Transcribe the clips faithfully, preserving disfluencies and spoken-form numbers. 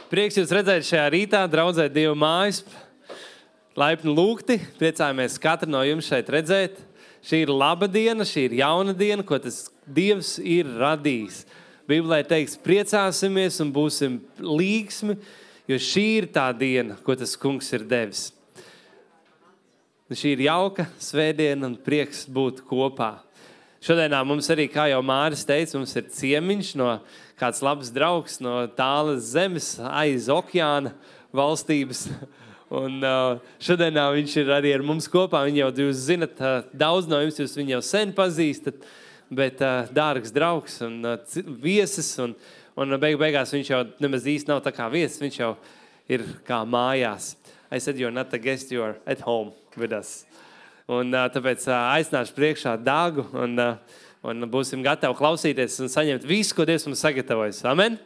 Prieks jūs redzēt šajā rītā, draudzē Dieva mājas. Laipni lūgti, priecājamies katru no jums šeit redzēt. Šī ir laba diena, šī ir jauna diena, ko tas Dievs ir radījis. Bībelē teiks, priecāsimies un būsim līgsmi, jo šī ir tā diena, ko tas kungs ir devis. Šī ir jauka svētdiena un prieks būt kopā. Šodienā mums arī, kā jau Māris teica, mums ir ciemiņš no kāds labs draugs no tālas zemes aiz okeāna valstības. Un uh, šodienā viņš ir arī ar mums kopā. Viņu jau jūs zinat, uh, daudz no jums jūs viņu jau sen pazīstat, bet uh, dārgs draugs un uh, viesis. Un, un beig beigās viņš jau nemaz īsti nav tā kā viesis, viņš jau ir kā mājās. I said you're not a guest, you're at home with us. Un uh, tāpēc uh, aicināšu priekšā Dāgu un, uh, un būsim gatavi klausīties un saņemt visu, ko Dievs mums sagatavojas. Amen?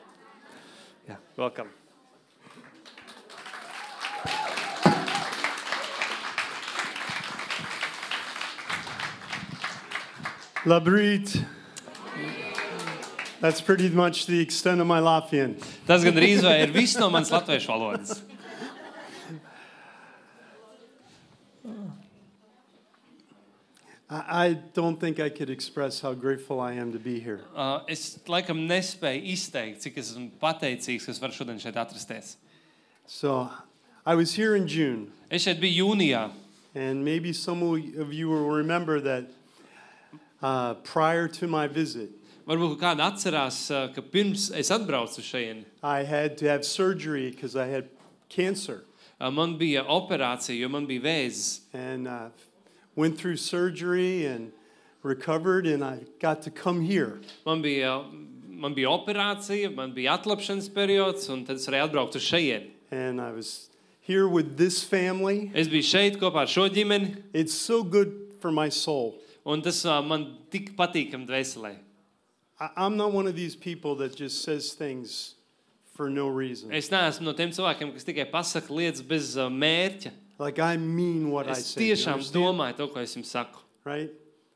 Jā, welcome. Labrīt. That's pretty much the extent of my Latvian. Tas gan drīz vai ir viss no manas latviešu valodas. I don't think I could express how grateful I am to be here. Uh, es laikam nespēju izteikt, cik esmu pateicīgs, ka es varu šodien šeit atrasties. So, I was here in June. Es šeit biju jūnijā. And maybe some of you will remember that uh, prior to my visit, Varbūt kāda atcerās, uh, ka pirms es atbraucu šeit, I had to have surgery because I had cancer. uh, man bija operācija, jo man bija vēzis. And uh, went through surgery and recovered, and I got to come here. Man bija, man bija operācija, man bija atlapšanas periods, un tad es varēju atbraukt uz šeit. And I was here with this family. Es biju šeit kopā ar šo ģimeni, It's so good for my soul. un tas uh, man tik patīkam dvēselē. I- I'm not one of these people that just says things for no reason. Es neesmu no tiem cilvēkiem, kas tikai pasaka lietas bez uh, mērķa. Like I mean what I Es say. you tiešām understand? domāju to, ko es jums saku. Right?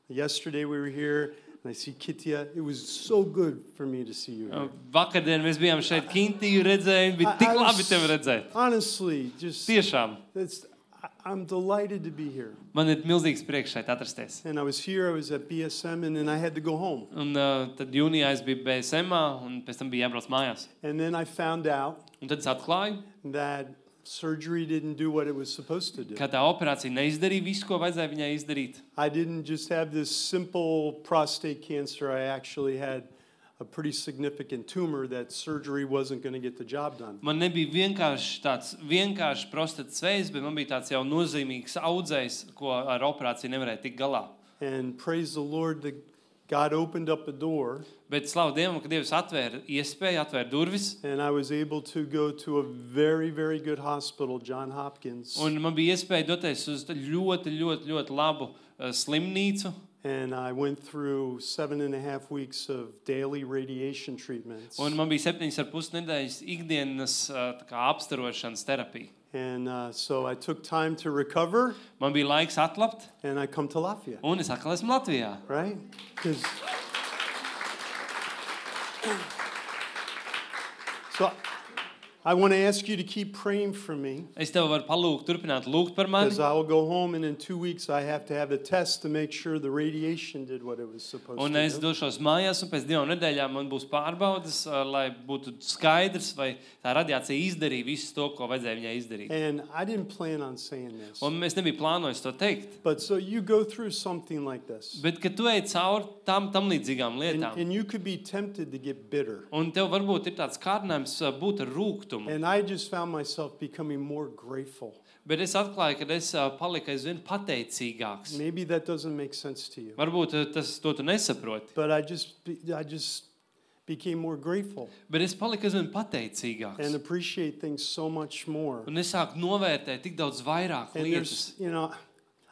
Yesterday we were here, and I see Kitya. It was so good for me to see you here. Uh, Vakardien mēs bijām šeit Kintiju redzējumi, bija I- tik I labi was- tevi redzēt. Honestly, just Tiešām. it's, I- I'm delighted to be here. Man ir milzīgs prieks šeit atrasties. And I was here, I was at B S M, and then I had to go home. Un uh, tad jūnijā es biju B S M-ā, un pēc tam bija jābrauc mājās. And then I found out Un tad es atklāju, that surgery didn't do what it was supposed to do. ka tā operācija neizdarīja visu, ko vajadzēja viņai izdarīt. I didn't just have this simple prostate cancer. I actually had a pretty significant tumor that surgery wasn't going to get the job done. Man nebija vienkārši tāds vienkārši prostatas vējs, bet man bija tāds jau nozīmīgs audzējs, ko ar operāciju nevarēja tikt galā. And praise the Lord that God opened up a door, Bet slavu Dievam, ka Dievs atvēra iespēju, atvēra durvis, and I was able to go to a very, very good hospital, John Hopkins. un man bija iespēja doties uz ļoti, ļoti, ļoti labu uh, slimnīcu. And I went through seven and a half weeks of daily radiation treatments. Un man bija septiņas ar pus nedēļas ikdienas uh, tā kā apstarošanas terapija. And uh, so I took time to recover, Man bija laiks atlapt, and I come to Latvia, un es atkal esmu Latvijā. right? 'Cause- So I want to ask you to keep praying for me, Es tev varu palūgt, turpināt lūgt par mani, because I will go home, and in two weeks I have to have a test to make sure the radiation did what it was supposed un to es do. došos mājās, un pēc divām nedēļām man būs pārbaudas, uh, lai būtu skaidrs, vai tā radiācija izdarīja visu to, ko vajadzēja viņai izdarīt. And I didn't plan on saying this, Un es nebiju plānojis to teikt. but so you go through something like this, Bet, kad tu ej cauri tam, tam līdzīgām and, lietām, and you could be tempted to get bitter. un tev varbūt ir tāds kārdinājums uh, būt ar rūgtumu, And I just found myself becoming more grateful. bet es atklāju, ka es uh, paliku aizvien pateicīgāks. Maybe that doesn't make sense to you, Varbūt uh, tas to tu nesaproti, but I just be- I just became more grateful bet es paliku aizvien and pateicīgāks. appreciate things so much more. Un es sāku novērtēt tik daudz vairāk And lietas. there's, you know,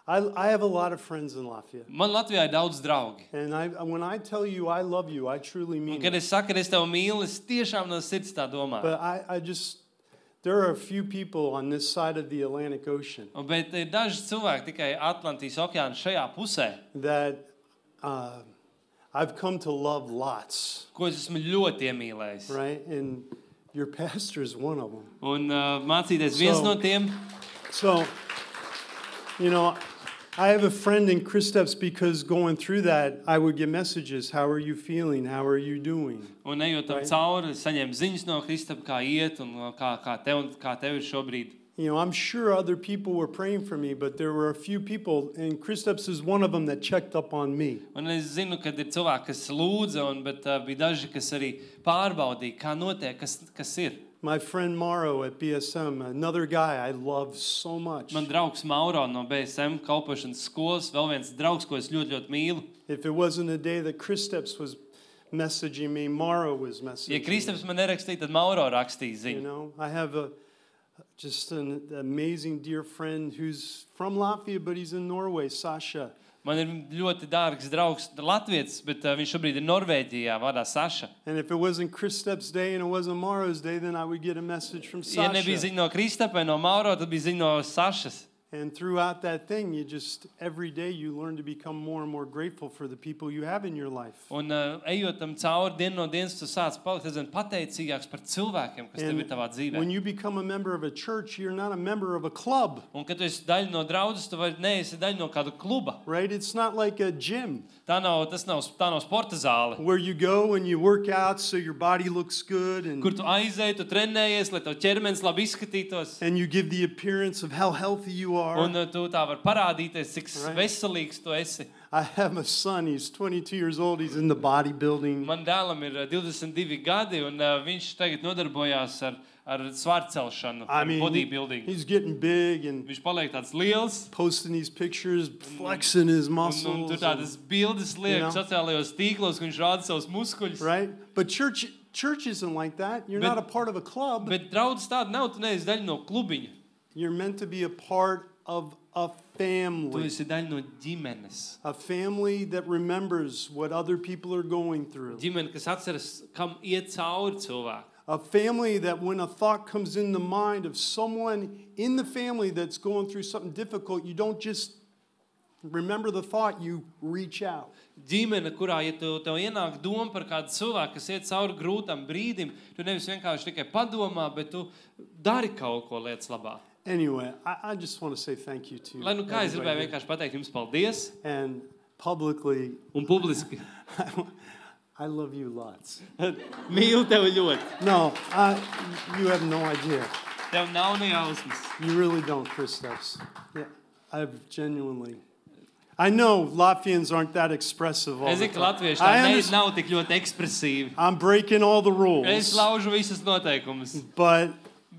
I I have a lot of friends in Latvia, Man Latvijā ir daudz draugi. and I when I tell you I love you, I truly Un, mean kad it. es saku, ka es tev mīlu, es tiešām no sirds tā domāju. But I I just there are a few people on this side of the Atlantic Ocean Un, bet ir daži cilvēki tikai Atlantijas okeāna šajā pusē, that uh, I've come to love lots, ko es esmu ļoti iemīlējis. right? And Your pastor is one of them. Un uh, mācīties viens So- no tiem. So, you know, I have a friend in Kristaps because going through that, I would get messages. How are you feeling? How are you doing? Un ejot tam Right. cauri, saņem ziņas no Kristapa, kā iet un uh, kā, kā, tev, kā tev ir šobrīd. You know, I'm sure other people were praying for me, but there were a few people, and Kristaps is one of them, that checked up on me. Un es zinu, ka ir cilvēki, kas lūdza, un, bet uh, bija daži, kas arī pārbaudīja, kā notiek, kas, kas ir. My friend Mauro at B S M, another guy I love so much. Man draugs Mauro no B S M kalpošanas skolas, vēl viens draugs, ko es ļoti, ļoti mīlu. If it wasn't a day that Kristaps was messaging me, Mauro was messaging Ja me. Kristaps man nerakstīja, tad Mauro rakstīja You ziņu. know, I have a just an amazing dear friend who's from Latvia, but he's in Norway, Sasha. Man ir ļoti dārgs draugs Latvijas, bet uh, viņš šobrīd ir Norvēģijā, vārdā Saša. And if it wasn't Kristaps' day and it wasn't Mauro's day, then I would get a message from Ja nebija Sasha. ziņa no Kristapa vai no Mauro, tad bija ziņa no Sašas. And throughout that thing, you just, every day you learn to become more and more grateful for the people you have in your life. Un uh, ejot tam cauri dienu no dienas, tu sāc palikt aizvien pateicīgāks par cilvēkiem, kas tev And ir tavā dzīvē. when you become a member of a church, you're not a member of a club, Un kad tu esi daļa no draudzes, tu vairs neesi daļa no kāda kluba. right? It's not like a gym Tā nav, tas nav, tā nav sporta zāle, where you go and you work out so your body looks good and, kur tu aizēji, tu trenējies, lai tev ķermenis labi izskatītos. and you give the appearance of how healthy you are. Un uh, tu tā var parādīties, cik Right. veselīgs tu esi. I have a son, he's twenty-two years old, he's in the bodybuilding. Man dēlam ir uh, divdesmit divi gadi, un uh, viņš tagad nodarbojās ar, ar svārcelšanu, I ar mean, he- bodybuilding. he's getting big and Viņš paliek tāds liels, posting these pictures, flexing his un, un muscles. tur tādas bildes liek You know? sociālajos tīklos, ka viņš rāda savus muskuļus. Right? But church church isn't like that. You're But- not a part of a club. Bet draudz tāda nav, tu neesi daļa no klubiņa. You're meant to be a part of a Tu family. esi daļa no ģimenes. A family that remembers what other people are going through. Ģimene, kas atceras, kam iet cauri cilvēki. A family that when a thought comes in the mind of someone in the family that's going through something difficult, you don't just remember the thought, you reach out. Ģimene, kurā, ja tu, tev ienāk doma par kādu cilvēku, kas iet cauri grūtam brīdim, tu nevis vienkārši tikai padomā, bet tu dari kaut ko lietas labā. Anyway, I, I just want to say thank you to Lai nu kā es gribēju everybody. vienkārši pateikt jums paldies And publicly, un publiski. I love you lots. Mīlu tevi ļoti. No, I, you have no idea. Tev nav ne jausmas. You really don't, Kristaps. Yeah, I've genuinely. I know Latvians aren't that expressive all Es the zinu, ka time. latvieši I tā ne, understand. nav tik ļoti ekspresīvi. I'm breaking all the Es rules, laužu visas noteikumus. but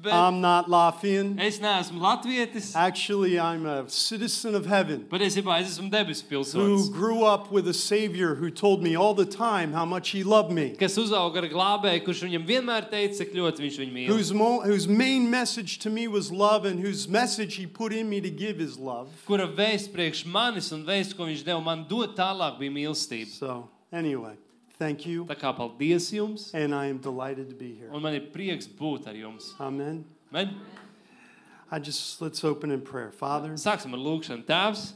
Bet I'm not Latvian. es neesmu latvietis. Actually, I'm a citizen of heaven Patiesībā es esmu debesu who pilsonis, grew up with a Savior who told me all the time how much He loved me, kas uzauga ar glābēju, kurš viņam vienmēr teica, cik ļoti viņš viņu mīl. whose, mo- whose main message to me was love, and whose message He put in me to give is love. Kura vēsts priekš manis un vēsts, ko viņš deva man dot tālāk, bija mīlestība. So, anyway, thank you, Tā kā paldies jums, and I am delighted to be here. un man ir prieks būt ar jums. Amen. Men, I just, let's open in prayer. Father, sāksim ar lūkšanu. Tēvs,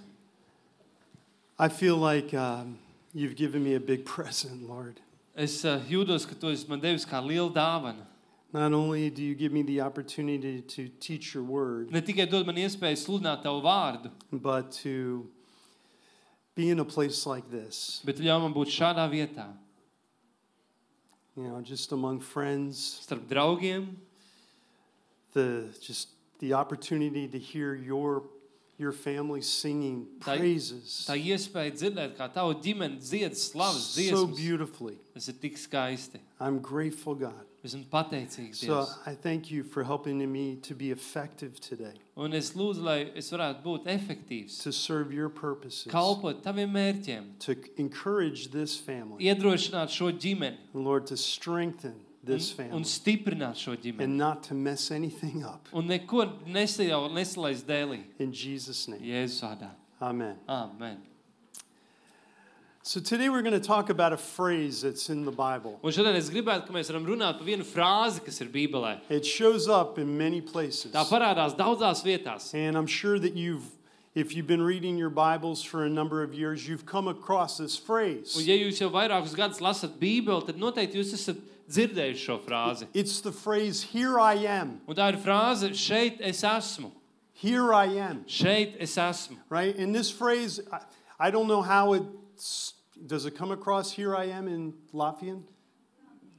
I feel like um, you've given me a big present, Lord. es uh, jūtos, ka tu esi man devis kā liela dāvana. Not only do you give me the opportunity to teach your word, Ne tikai dod man iespēju sludināt tavu vārdu, but to be in a place like this, bet ļauj man būt šādā vietā, you know, just among friends, starp draugiem, the just the opportunity to hear your your family singing Tā- praises tā iespēja dzirdēt, kā tavu ģimeni dzied slavas so dziesmas. beautifully. Tas ir tik skaisti. I'm grateful, God. Esmu pateicīgs So Dievs. I thank you for helping me to be effective today, Un es lūdzu, lai es varētu būt efektīvs, to serve your purposes, kalpot taviem mērķiem, to encourage this family, iedrošināt šo ģimeni and Lord, to strengthen this un, un family, stiprināt šo ģimeni. and not to mess anything up. Un neko nesajau, nesalaist dēlī. In Jesus' name, Jēzus vārdā. amen. Amen. So today we're going to talk about a phrase that's in the Bible. Un šodien es gribētu, ka mēs varam runāt par vienu frāzi, kas ir Bībelē. It shows up in many places. Tā parādās daudzās vietās. And I'm sure that you've, if you've been reading your Bibles for a number of years, you've come across this Un phrase. ja jūs jau vairākus gadus lasat Bībeli, tad noteikti jūs esat dzirdējuši šo frāzi. It's the phrase, here I am. Un tā ir frāze, šeit es esmu. Here I am. Šeit es esmu. Right? And this phrase, I, I don't know how it, does it come across, here I am in Latvian?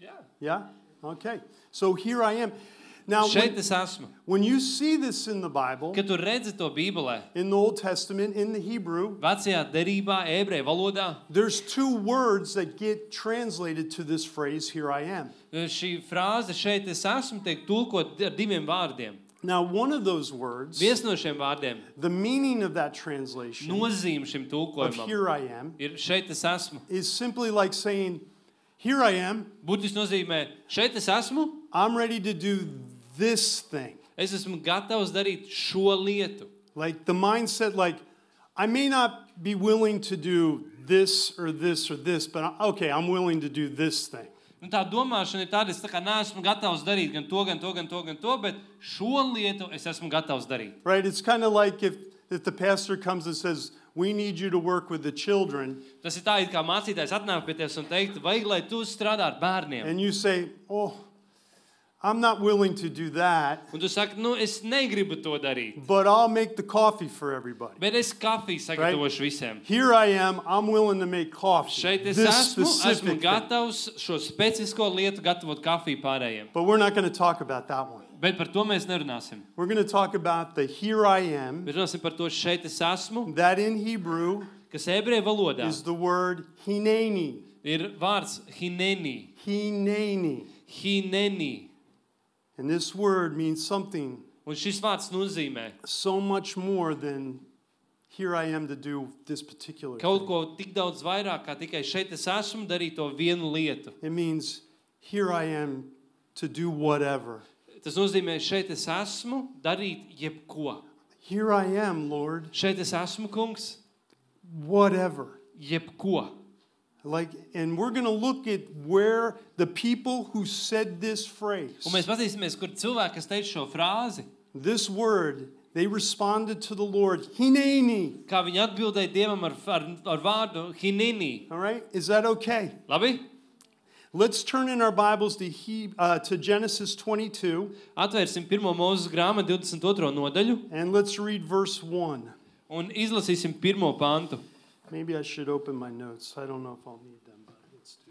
Yeah. Yeah? Okay. So here I am. Now, Šeit when, es esmu. when you see this in the Bible, Kad tu redzi to Bībelē, in the Old Testament, in the Hebrew, vecajā derībā, ebreju valodā, there's two words that get translated to this phrase, here I am. šī frāze šeit es esmu tiek tulkot ar diviem vārdiem. Now, one of those words, Viens no šiem vārdiem, the meaning of that translation nozīme šim of tulkojumam, here I am, ir šeit es esmu. is simply like saying, here I am, Būtiski nozīmē, šeit es esmu, I'm ready to do this thing. es esmu gatavs darīt šo lietu. Like the mindset, like, I may not be willing to do this or this or this, but I- okay, I'm willing to do this thing. Un tā domāšana ir tāda, es tā kā neesmu gatavs darīt gan to, gan to, gan to, gan to, bet šo lietu es esmu gatavs darīt. Right? It's kind of like if, if the pastor comes and says, we need you to work with the children, Tas ir tā, it kā mācītājs atnāk pie tevis un teikt, vajag, lai tu strādā ar bērniem. and you say, oh, I'm not willing to do that, Un tu saki, nu, es negribu to darīt, but I'll make the coffee for everybody. bet es kafiju sagatavošu visiem. Here I am, I'm willing to make coffee. Šeit es This esmu, esmu specific thing. gatavs šo specifisko lietu gatavot kafiju pārējiem. But we're not going to talk about that one. Bet par to mēs nerunāsim. We're going to talk about the here I am, Mēs runāsim par to šeit es esmu, that in Hebrew kas ebreju valodā is the word hineni. ir vārds hineni, Hineni. hineni. And this word means something Un šis vārds nozīmē so much more than here I am to do this particular kaut thing. ko tik daudz vairāk, kā tikai šeit es esmu darīt to vienu lietu. It means here I am to do whatever. Tas nozīmē, šeit es esmu darīt jebko. Here I am, Lord, Šeit es esmu, kungs, whatever. jebko. Like, and we're going to look at where the people who said this phrase, Un mēs pazīsimies, kur cilvēki, kas teica šo frāzi, this word, they responded to the Lord, hineni. kā viņi atbildēja Dievam ar, ar, ar vārdu hineni. All right? Is that okay? Labi? Let's turn in our Bibles to, he, uh, to Genesis twenty-two, Atvērsim pirmo Mūzes grāmatu divdesmit otro nodaļu and let's read verse one. un izlasīsim pirmo pantu. Maybe I should open my notes. I don't know if I'll need them, but let's do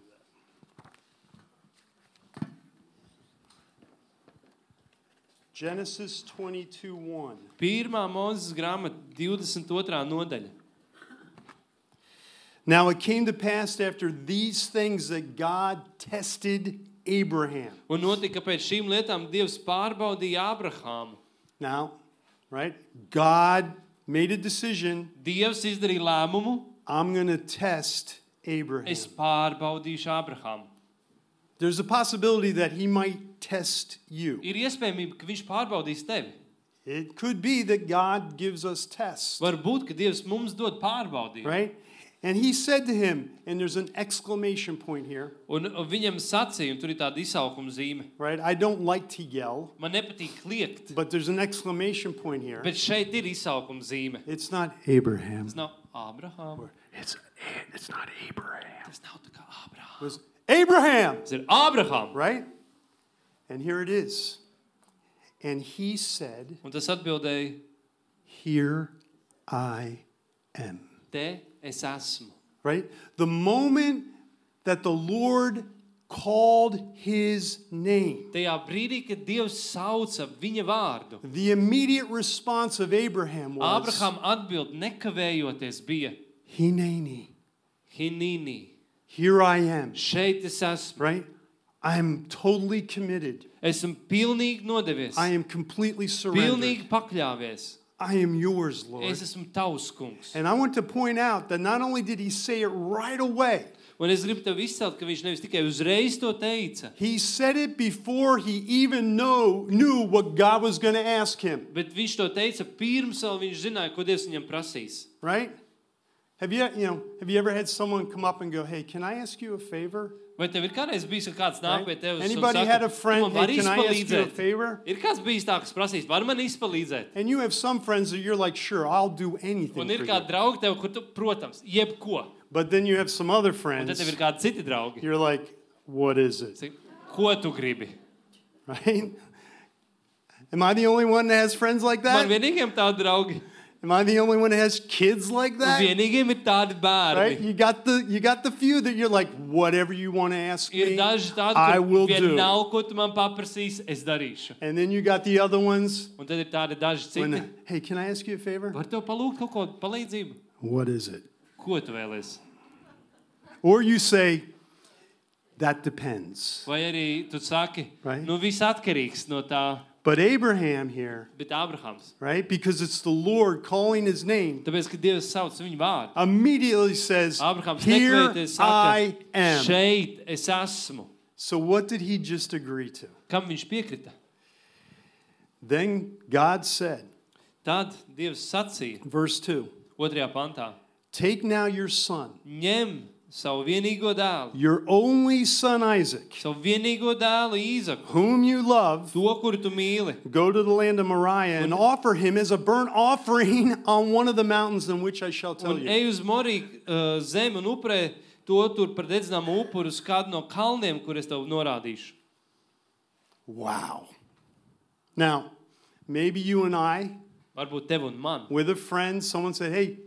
that. Genesis twenty-two one. Pirmā Mūzes grāmata divdesmit otrā nodaļa. Now it came to pass after these things that God tested Abraham. Un notika, ka pēc šīm lietām Dievs pārbaudīja Abrahāmu. Now, right? God made a decision. Dievs izdarīja lēmumu, I'm going to test Abraham. es pārbaudīšu Abrahāmu. There's a possibility that he might test you. Ir iespējamība, ka viņš pārbaudīs tevi. It could be that God gives us tests, Varbūt, ka Dievs mums dod pārbaudījumu. right? And he said to him, and there's an exclamation point here, Un un viņam sacīja, un tur ir tāda izsaukuma zīme. right? I don't like to yell, Man nepatīk kliegt, but there's an exclamation point here. bet šeit ir izsaukuma zīme. It's not Abraham. Tas nav Abrahāms. It's, it's not Abraham. Tas nav tā kā It Abrahāms. was Abraham, Tas ir Abrahāms. right? And here it is. And he said, Un tas atbildēja, here I am. te es esmu. Right? The moment that the Lord called his name, Tajā brīdī, kad Dievs sauca viņa vārdu, the immediate response of Abraham was, Abraham atbild nekavējoties bija Hineni, Hinini. here I am. Šeit es esmu. Right? I'm totally committed. Esmu pilnīgi nodevies. I am completely surrendered. Pilnīgi pakļāvies. I am yours, Lord. Es esmu tavs, kungs. And I want to point out that not only did he say it right away, Un es gribu tev izcelt, ka viņš nevis tikai uzreiz to teica, he said it before he even know, knew what God was going to ask him. bet viņš to teica pirms vēl viņš zināja, ko Dievs viņam prasīs. Right? Have you, you know, have you ever had someone come up and go, hey, can I ask you a favor? Vai tev ir kādreiz bijis, ka kāds nāk Right? pie tevis un Anybody saka, had a "Tu friend, man hey, vari can I ask you a izpalīdzēt?" favor? Ir kāds bijis tā, kas prasīs, var man izpalīdzēt? And you have some friends that you're like, sure, I'll do anything Un ir for kādi you. draugi tev, kur tu, protams, jebko. But then you have some other Un tad friends, tev ir kādi citi draugi. you're like, what is it? Saka, Ko tu gribi? Right? Am I the only one that has friends like Man that? vienīgiem tādi draugi. Am I the only one that has kids like Un that? vienīgiem ir tādi Right? bērni. You got the you got the few that you're like, whatever you want to ask Ir me, daži tādi, I kur will do. vienalga, ko tu man paprasīsi, es darīšu. And then you got the other ones. Un tad ir tādi daži citi. When, hey, can I ask you a favor? Var tev palūgt kaut ko palīdzību? What is it? Ko tu vēlies? Or you say, that depends. Vai arī tu saki, Right. nu viss atkarīgs no tā, But Abraham here, bet Abrahams. right? Because it's the Lord calling his name, Tāpēc, ka Dievs sauc viņu vārdu. immediately says, Abrahams here nekvēties I saka, am. šeit es esmu. So what did he just agree to? Kam viņš piekrita? Then God said, Tad Dievs sacīja, verse two, otrajā pantā, take now your son, ņem savu vienīgo dēlu, your only son Isaac, savu vienīgo dēlu Īzaku, whom you love, to, kuru tu mīli, go to the land of Moriah and offer him as a burnt offering on one of the mountains in which I shall tell un you. ej uz Moriju uh, zemi un upurē to tur par dedzināmu upuru uz kādu no kalniem, kur es tev norādīšu. Wow. Now, maybe you and I, Varbūt tev un man. with a friend, someone said, hey,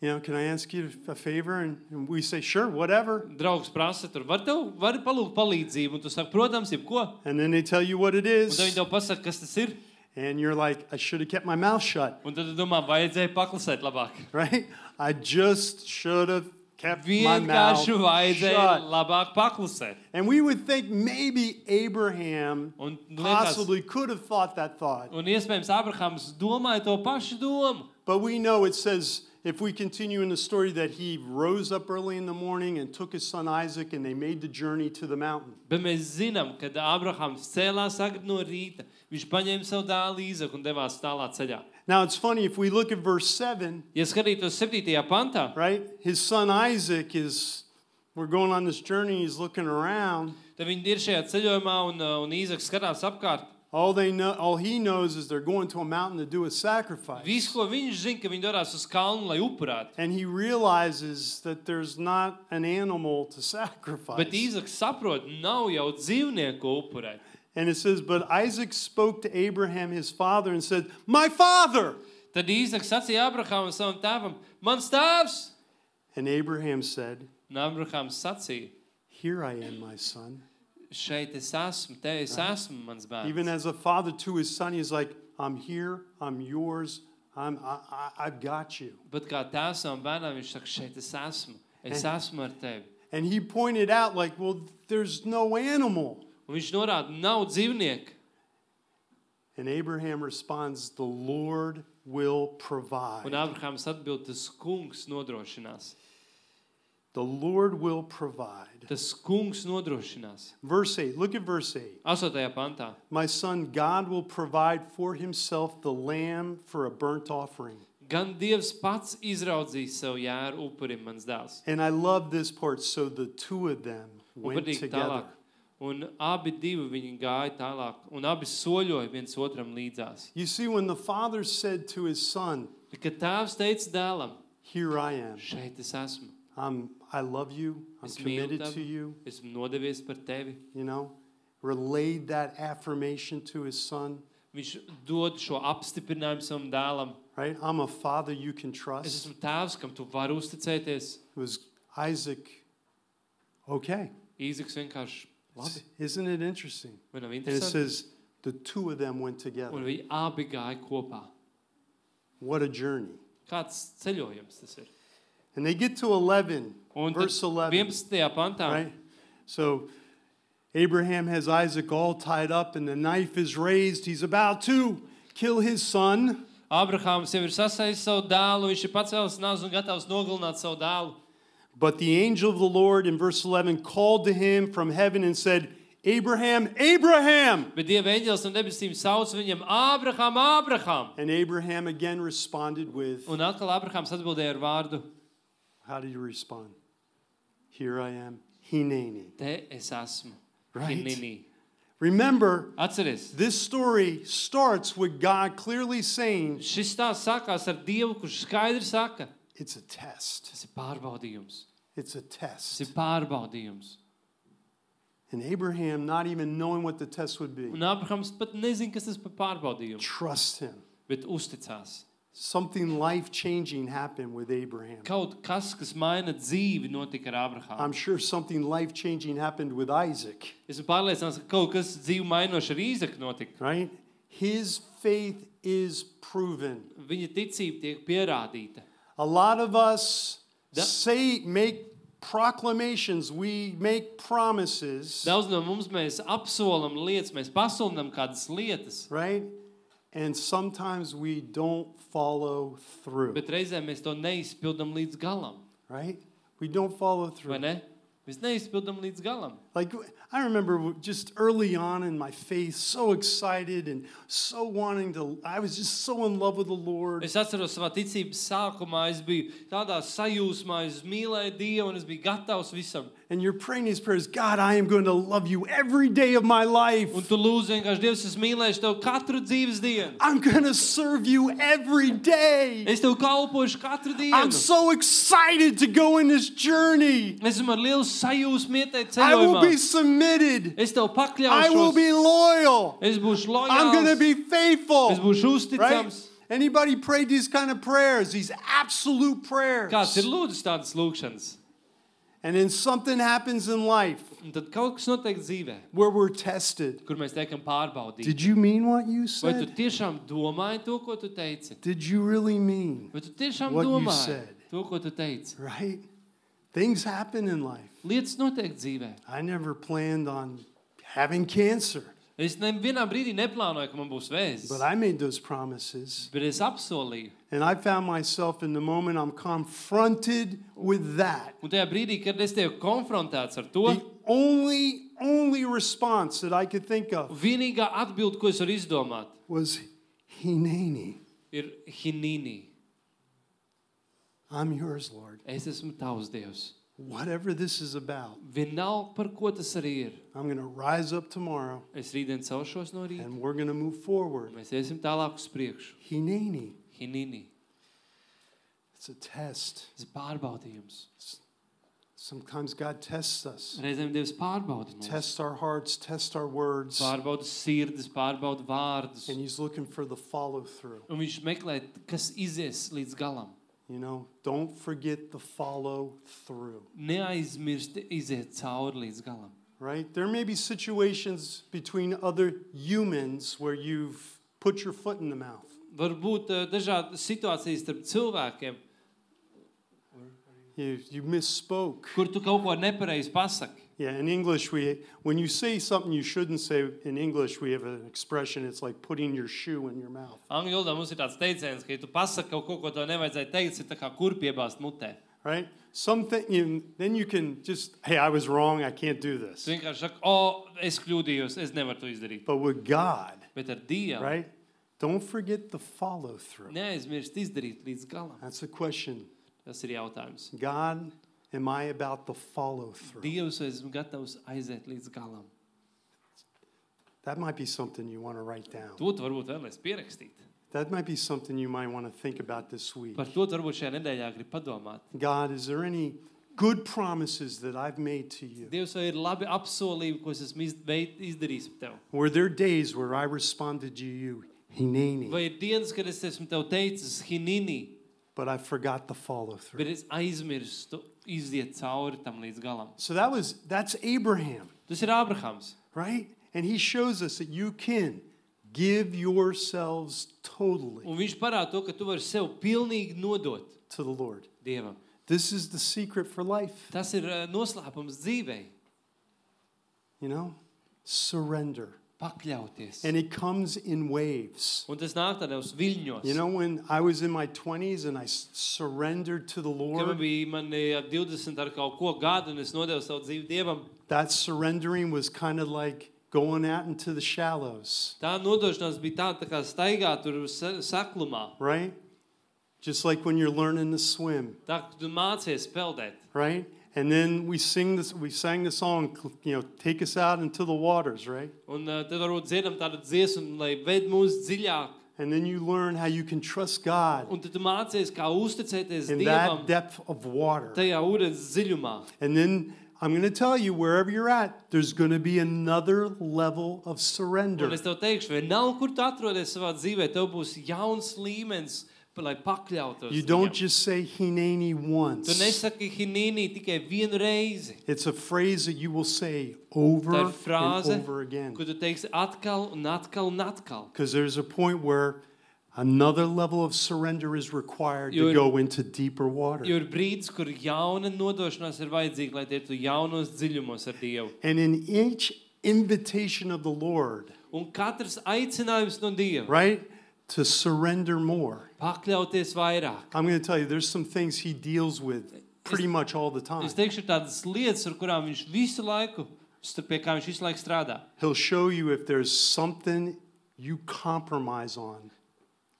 you know, can I ask you a favor? And, and we say, sure, whatever. Draugs prasa tur, var tev, var palūgt palīdzību, un tu saki, protams, jebko. And then they tell you what it Un is. tad viņi tev pasaka, kas tas ir. And you're like, I should have kept my mouth shut, Un tad tu domā, vajadzēja paklusēt labāk. right? I just should have kept my mouth Vienkārši vajadzēja shut. labāk paklusēt. And we would think maybe Abraham Un, liekas, possibly could have thought that thought. un iespējams Abrahams domāja to pašu domu. But we know it says, if we continue in the story, that he rose up early in the morning and took his son Isaac and they made the journey to the mountain. Bet mēs zinām, kad Abrahams cēlās agri no rīta, viņš paņēma savu dēlu Īzaku un devās tālā ceļā. Now it's funny, if we look at verse seven, Ja skatītos septītajā pantā, right? His son Isaac is, we're going on this journey, he's looking around. tad viņi ir šajā ceļojumā un, un Īzaks skatās apkārt. All they know, all he knows is they're going to a mountain to do a sacrifice. Viss, ko viņš zina, ka viņi dodas uz kalnu, lai upurētu. And he realizes that there's not an animal to sacrifice. Bet Īzaks saprot, nav jau dzīvnieku upurēt. And it says, but Isaac spoke to Abraham, his father, and said, my father! Tad Īzaks sacīja Abrahamam savam tēvam, mans tēvs! And Abraham said, Un Abrahams sacīja, here I am, my son. šeit es esmu, te es esmu, mans Even bērns. as a father to his son, he's like, I'm here, I'm yours, I'm, I, I, I've got you. Bet kā tēvs savam bērnam, viņš saka, šeit es esmu, es esmu ar tevi. And he pointed out, like, well, there's no animal. Un viņš norāda, nav dzīvnieku. And Abraham responds, the Lord will provide. Un Abrahams atbild, tas kungs nodrošinās. The Lord will provide. Tas kungs nodrošinās. Verse eight, look at verse eight. Astotajā pantā. My son, God will provide for himself the lamb for a burnt offering. Gan Dievs pats izraudzīs sev jēru upurim, mans dēls. And I love this part. So the two of them Un went patīk together. tālāk. Un abi divi viņi gāja tālāk. Un abi soļoja viens otram līdzās. You see, when the father said to his son, Kad tēvs teica dēlam, here I am. šeit es esmu. I'm, I love you. I'm Es mīlu committed to tevi. you. Esmu nodevies par tevi. You know, relayed that affirmation to his son. Viņš dod šo apstiprinājumu savam dēlam. Right? I'm a father you can Es trust. esmu tēvs, kam tu vari uzticēties. It was Isaac. Okay. Īzaks vienkārši labi. Isn't it interesting? Vai nav And it interesanti? says the two of them went together. Un viņi abi gāja kopā. What a journey. Kāds ceļojums tas ir? And they get to eleven, Un tad verse eleven. vienpadsmitajā pantā. Right? So Abraham has Isaac all tied up and the knife is raised. He's about to kill his son. Abrahāms jau ir sasaistis savu dēlu, viņš ir pacēlis nazu un gatavs nogalināt savu dēlu. But the angel of the Lord in verse eleven called to him from heaven and said, Abraham, Abraham! Bet Dieva eņģelis no debesīm sauc viņam, Ābraham, Ābraham! And Abraham again responded with, Un atkal Abrahams atbildēja ar vārdu, how did you respond? Here I am, Hineni. te es esmu. Right. Hinini. Remember, Atceries, this story starts with God clearly saying, šis stāsts sākās ar Dievu, kurš skaidri saka, it's a test. tas ir pārbaudījums. It's a Tas test. ir pārbaudījums. And Abraham, not even knowing what the test would be, Un Abrahams pat nezin, kas tas par pārbaudījumu, trust him. bet uzticās. Something life-changing happened with Abraham. Kaut kas, kas maina dzīvi, notika ar Abrahamu. I'm sure something life-changing happened with Isaac, Esmu pārliecināts, ka kaut kas dzīvi mainoši ar Īzaku notika. right? His faith is proven. Viņa ticība tiek pierādīta. A lot of us Da- say, make proclamations, we make promises, Daudz no mums mēs apsolam lietas, mēs pasludinām kādas lietas, right? And sometimes we don't follow through, bet reizēm mēs to neizpildam līdz galam. right? We don't follow Vai through. ne? Mēs neizpildam līdz galam. Like, I remember just early on in my faith, so excited and so wanting to, I was just so in love with the Lord. Es atceros savā ticības sākumā, es biju tādā sajūsmā, es mīlēju Dievu un es biju gatavs visam. And you're praying these prayers, God, I am going to love you every day of my life. Un tu lūdzu vienkārši, Dievs, es mīlēšu Tev katru dzīves dienu. I'm going to serve you every day. Es Tev kalpošu katru dienu. I'm so excited to go in this journey. Esmu ar lielu sajūsmu ieteikt I will be ceļojumā. submitted. Es Tev I will pakļaušos. be loyal. Es būšu I'm going to lojāls. be faithful. Es būšu Right? uzticams. Anybody prayed these kind of prayers, these absolute prayers? Kāds ir lūdzis tādas lūkšanas? And then something happens in life Un tad kaut kas notiek dzīvē, where we're tested. kur mēs tiekam pārbaudīti. Did you mean what you Vai tu said? tiešām domāji to, ko tu teici? Did you really mean? Vai tu tiešām What you domāji said. to, ko tu teici? Right? Things happen in life. Lietas notiek dzīvē. I never planned on having cancer, Es nevienā brīdī neplānoju, ka man būs vēzis, but I made those promises. bet es apsolīju. And I found myself in the moment I'm confronted with that. Un tajā brīdī, kad es tev konfrontēts ar to, The only, only response that I could think of vienīgā atbilde, ko es varu izdomāt, was Hineni. ir Hinīni. I'm yours, Lord. Es esmu tavs Dievs. Whatever this is about, Vienalga, par ko tas arī ir. I'm going to rise up tomorrow Es rītdien celšos no rīta. and we're going to move forward. Mēs iesim tālāk uz priekšu. Hineni. Hinīni. It's a test. Tas ir pārbaudījums. Sometimes God tests us. Reizēm Dievs pārbauda mūs. Test our hearts, test our words. Pārbauda sirdis, pārbauda vārdus. And he's looking for the follow through. Un viņš meklē, kas izies līdz galam. You know, don't forget the follow through. Neaizmirst iziet cauri līdz galam. Right? There may be situations between other humans where you've put your foot in the mouth. Varbūt uh, dažādas situācijas starp cilvēkiem, You, you misspoke. kur tu kaut ko nepareizi pasaki. Yeah, in English, we when you say something you shouldn't say in English, we have an expression. It's like putting your shoe in your mouth. Angļu valodā mums ir tāds teiciens, ka, ja tu pasaki kaut ko, ko tev nevajadzēja teikt, ir tā kā kur piebāzt mutē. Right? Something you, then you can just, hey, I was wrong. I can't do this. Tu vienkārši saki, o, es kļūdījos, es nevaru to izdarīt. But with God, Bet ar Dievu right? Don't forget the follow through. neaizmirst izdarīt līdz galam. That's a question. Tas ir jautājums. God, am I about the follow through? Dievs, vai esmu gatavs aiziet līdz galam? That might be something you want to write down. To tu varbūt vēlēs pierakstīt. That might be something you might want to think about this week. Par to tu varbūt šajā nedēļā grib padomāt. God, is there any good promises that I've made to you? Dievs, vai ir labi apsolījumi, ko es esmu iz- veid- izdarījis par tev? Were there days where I responded to you, Hineni, Vai ir dienas, kad es esmu tev teicis Hinīni, but I forgot the follow through? bet es aizmirstu iziet cauri tam līdz galam? So that was, that's Abraham, Tas ir Ābrahams. right? And he shows us that you can give yourselves totally Un viņš parāda to, ka tu vari sev pilnīgi nodot to the Lord. Dievam. This is the secret for life, Tas ir uh, noslēpums dzīvei. you know? Surrender. Pakļauties. And it comes in waves. Un tas nāk tādos viļņos. You know, when I was in my twenties and I s- surrendered to the Kad man Lord, bija mani ap divdesmit ar kaut ko gadu un es nodevu savu dzīvi Dievam, that surrendering was kind of like going out into the shallows, tā nodošanās bija tāda tā kā staigāt tur sa- saklumā. right? Just like when you're learning to swim, Tā, ka tu mācies peldēt. right? And then we sing this, we sang the song, you know, take us out into the waters, right? Un uh, tad varbūt dziedam tādu dziesmu, lai ved mūs dziļāk. And then you learn how you can trust God Un tad tu mācies, kā uzticēties in Dievam that depth of water. tajā ūdens dziļumā. And then I'm going to tell you, wherever you're at, there's going to be another level of surrender. Un es tev teikšu, vienalga, kur tu atrodies savā dzīvē, tev būs jauns līmenis, lai pakļautos. You don't viņam. just say Hineni once. Tu nesaki hinīni tikai vienu reizi. It's a phrase that you will say over Tā ir frāze, and over again. ko tu teiksi atkal un atkal un atkal. Because there's a point where another level of surrender is required Jo to ir- go into deeper water. Jo ir brīdis, kur jauna nodošanās ir vajadzīga, lai tie tu jaunos dziļumos ar Dievu. And in each invitation of the Lord, Un katrs aicinājums no Dieva right, to surrender more. pakļauties vairāk. I'm going to tell you, there's some things he deals with pretty much all the time. Es teikšu, ir tādas lietas, ar kurām viņš visu laiku, pie kā viņš visu laiku strādā. He'll show you if there's something you compromise on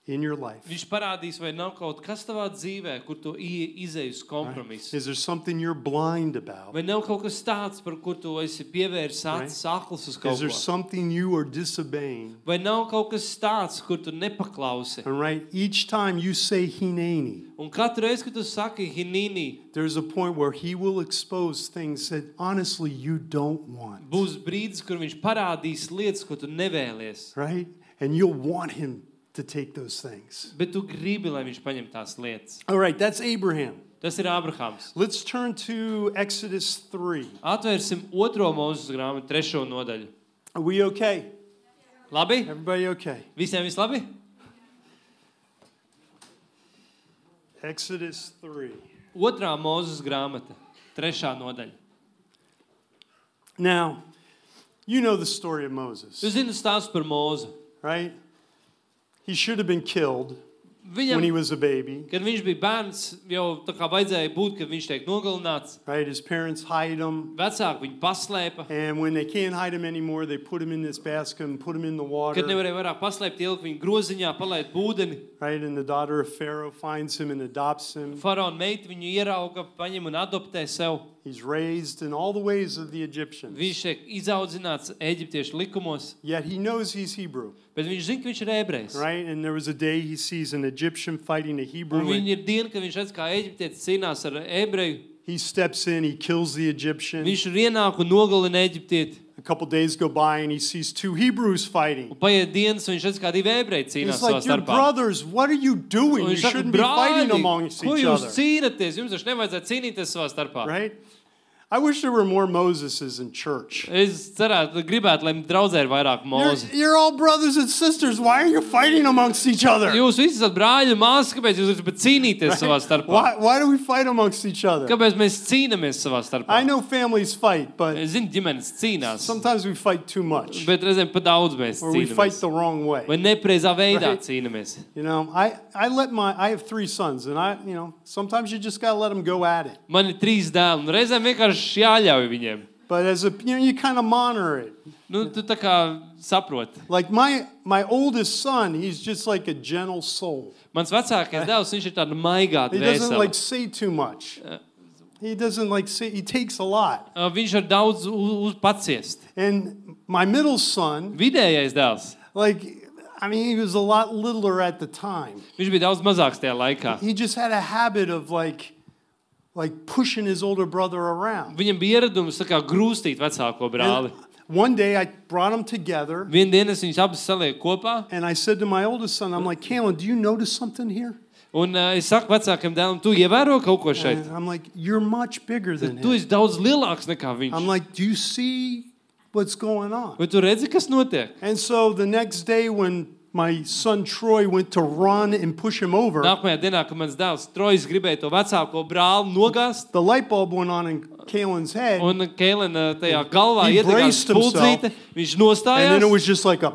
in your life. Viņš parādīs, vai nav kaut kas tavā dzīvē, kur tu izej uz kompromisu. Is there something you're blind about? Vai nav kaut kas tāds, par kur tu esi pievērsis acis akls uz kaut Is there ko? something you are disobeying? Vai nav kaut kas tāds, kur tu nepaklausi? And right, each time you say Hineni, Un katru reizi, kad tu saki hinīni, there's a point where he will expose things that honestly you don't want. būs brīdis, kur viņš parādīs lietas, ko tu nevēlies. Right? And you'll want him to take those things. Bet tu gribi, lai viņš paņem tās lietas. All right, that's Abraham. Tas ir Abrahams. Let's turn to Exodus three. Atvērsim otro Mūzes grāmatu, trešo nodaļu. Are we okay? Labi? Everybody okay? Visiem viss labi? Exodus three. Otrā Mūzes grāmata, trešā nodaļa. Now, you know the story of Tu Moses, zini stāstu par Mūzu. right? He should have been killed Viņam, when he was a baby, kad viņš bija bērns, jau tā kā vajadzēja būt, kad viņš tiek nogalināts. right? His parents hide him, Vecāki viņu paslēpa. and when they can't hide him anymore, they put him in this basket and put him in the water, Kad nevarēja vairāk paslēpt, ielikt viņu groziņā, palaid ūdeni. right? And the daughter of Pharaoh finds him and adopts him. Faraona meita viņu ierauga, paņem un adoptē sev. He's raised in all the ways of the Egyptians, Viņš tiek izaudzināts Eģiptiešu likumos, yet he knows he's Hebrew, bet viņš zina, ka viņš ir ebrejs. right? And there was a day he sees an Egyptian fighting a Un Hebrew, viņa and ir diena, kad viņš redz, kā eģiptietis cīnās ar ebreju. he steps in, he kills the Egyptian. Viņš ir ienāk un nogalina eģiptieti. A couple days go by and he sees two Hebrews fighting. Un paiet dienas, un viņš redz, kā divi ebreji cīnās It's savā like, you're starpā. brothers, what are you doing? Un You viņš saka, shouldn't be fighting brāļi, amongst ko each jūs other, cīnaties? Jums taču nevajadzētu cīnīties savā starpā. right? I wish there were more Moseses in church. Es cerētu, gribētu, lai draudzē ir vairāk You're, mūzu. you're all brothers and sisters. Why are you fighting amongst each other? Jūs visi esat brāļi un māsas, kāpēc jūs gribat cīnīties Right? savā starpā? Why, why do we fight amongst each other? Kāpēc mēs cīnāmies savā starpā? I know families fight, but Es zinu, ģimenes cīnās, sometimes we fight too much, bet reizēm pa daudz mēs or we fight cīnāmies. the wrong way. Vai nepreizā veidā Right. cīnāmies. You know, I, I let my, I have three sons, and I, you know, sometimes you just gotta let them go at it. Man ir trīs dēli, un reizēm vienkārši jāļauj viņiem. But as a, you know, you kind of monitor it. Nu, tu tā kā saproti. Like my, my oldest son, he's just like a gentle soul. Mans vecākais dēls, viņš ir tāda maigāta He doesn't like dvēsele. say too much. He doesn't like say, he takes a lot. Uh, Viņš var daudz u- uz paciest. And my middle son, Vidējais dēls, like, I mean, he was a lot littler at the time. viņš bija daudz mazāks tajā laikā. He just had a habit of like, like pushing his older brother around. Viņam bija ieradums tā kā grūstīt vecāko brāli. And one day I brought them together Vienu dienu es viņus abus salieku kopā, and I said to my oldest son, I'm like, Kalen, do you notice something here? un uh, es saku vecākam dēlam, tu ievēro kaut ko šeit? And I'm like, you're much bigger than Tu him. esi daudz lielāks nekā I'm viņš. like, do you see what's going on? Vai tu redzi, kas notiek? And so the next day when my son Troy went to run and push him over, Nākamajā dienā, kad mans dēls Trojs gribēja to vecāko brāli nogāzt, the light bulb went on in Kalen's head, un Keilena tajā galvā He iedegās braced himself. spuldzīte, viņš and then nostājās, it was just like a,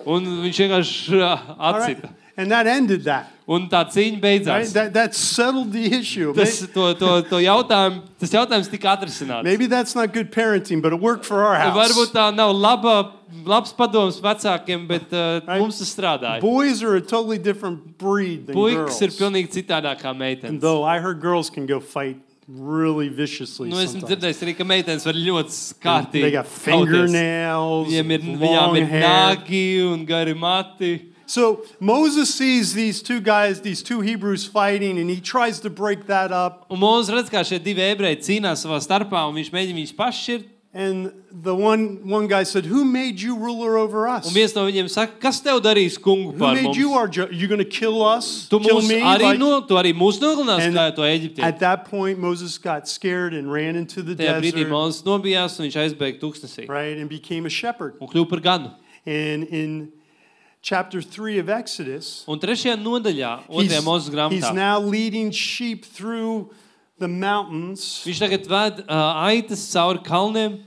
un viņš vienkārši uh, all right, atcita. and that ended that. Un tā cīņa Right? beidzās. That, that settled the issue. Tas, to, to, to jautājumu, tas jautājums tika atrisināts. Maybe that's not good parenting, but it worked for our house. Varbūt tā nav laba, labs padoms vecākiem, bet uh, Right. mums tas strādāja. Boys are a totally different breed than Puikas girls. ir pilnīgi citādāk kā And meitenes. though I heard girls can go fight really viciously Nu, esmu sometimes. dzirdējis arī, ka meitenes var ļoti kārtīgi They got kauties. fingernails, Viņiem ir, long viņām ir hair. nagi un gari mati. So Moses sees these two guys, these two Hebrews fighting, and he tries to break that up. Un Mūzes redz, kā šie divi ebreji cīnās savā starpā, un viņš mēģina viņus pašķirt. And the one, one guy said, who made you ruler over us? Un viens no viņiem saka, kas tev darīs kungu Who par made mums? you our judge? You going to kill us? Tu kill mūs me? arī, Like- no, tu arī mūs nogalinās, And kā to Eģiptē. At that point, Moses got scared and ran into the Tajā brīdī desert, Mūzes nobijās, un viņš aizbēga tūkstnesī. right, and became a shepherd. Un kļuva par ganu. And in chapter three of Exodus, Un trešajā nodaļā, he's, otrajā Mūzes he's grāmatā, now leading sheep through the mountains. viņš tagad ved uh, aitas cauri kalniem,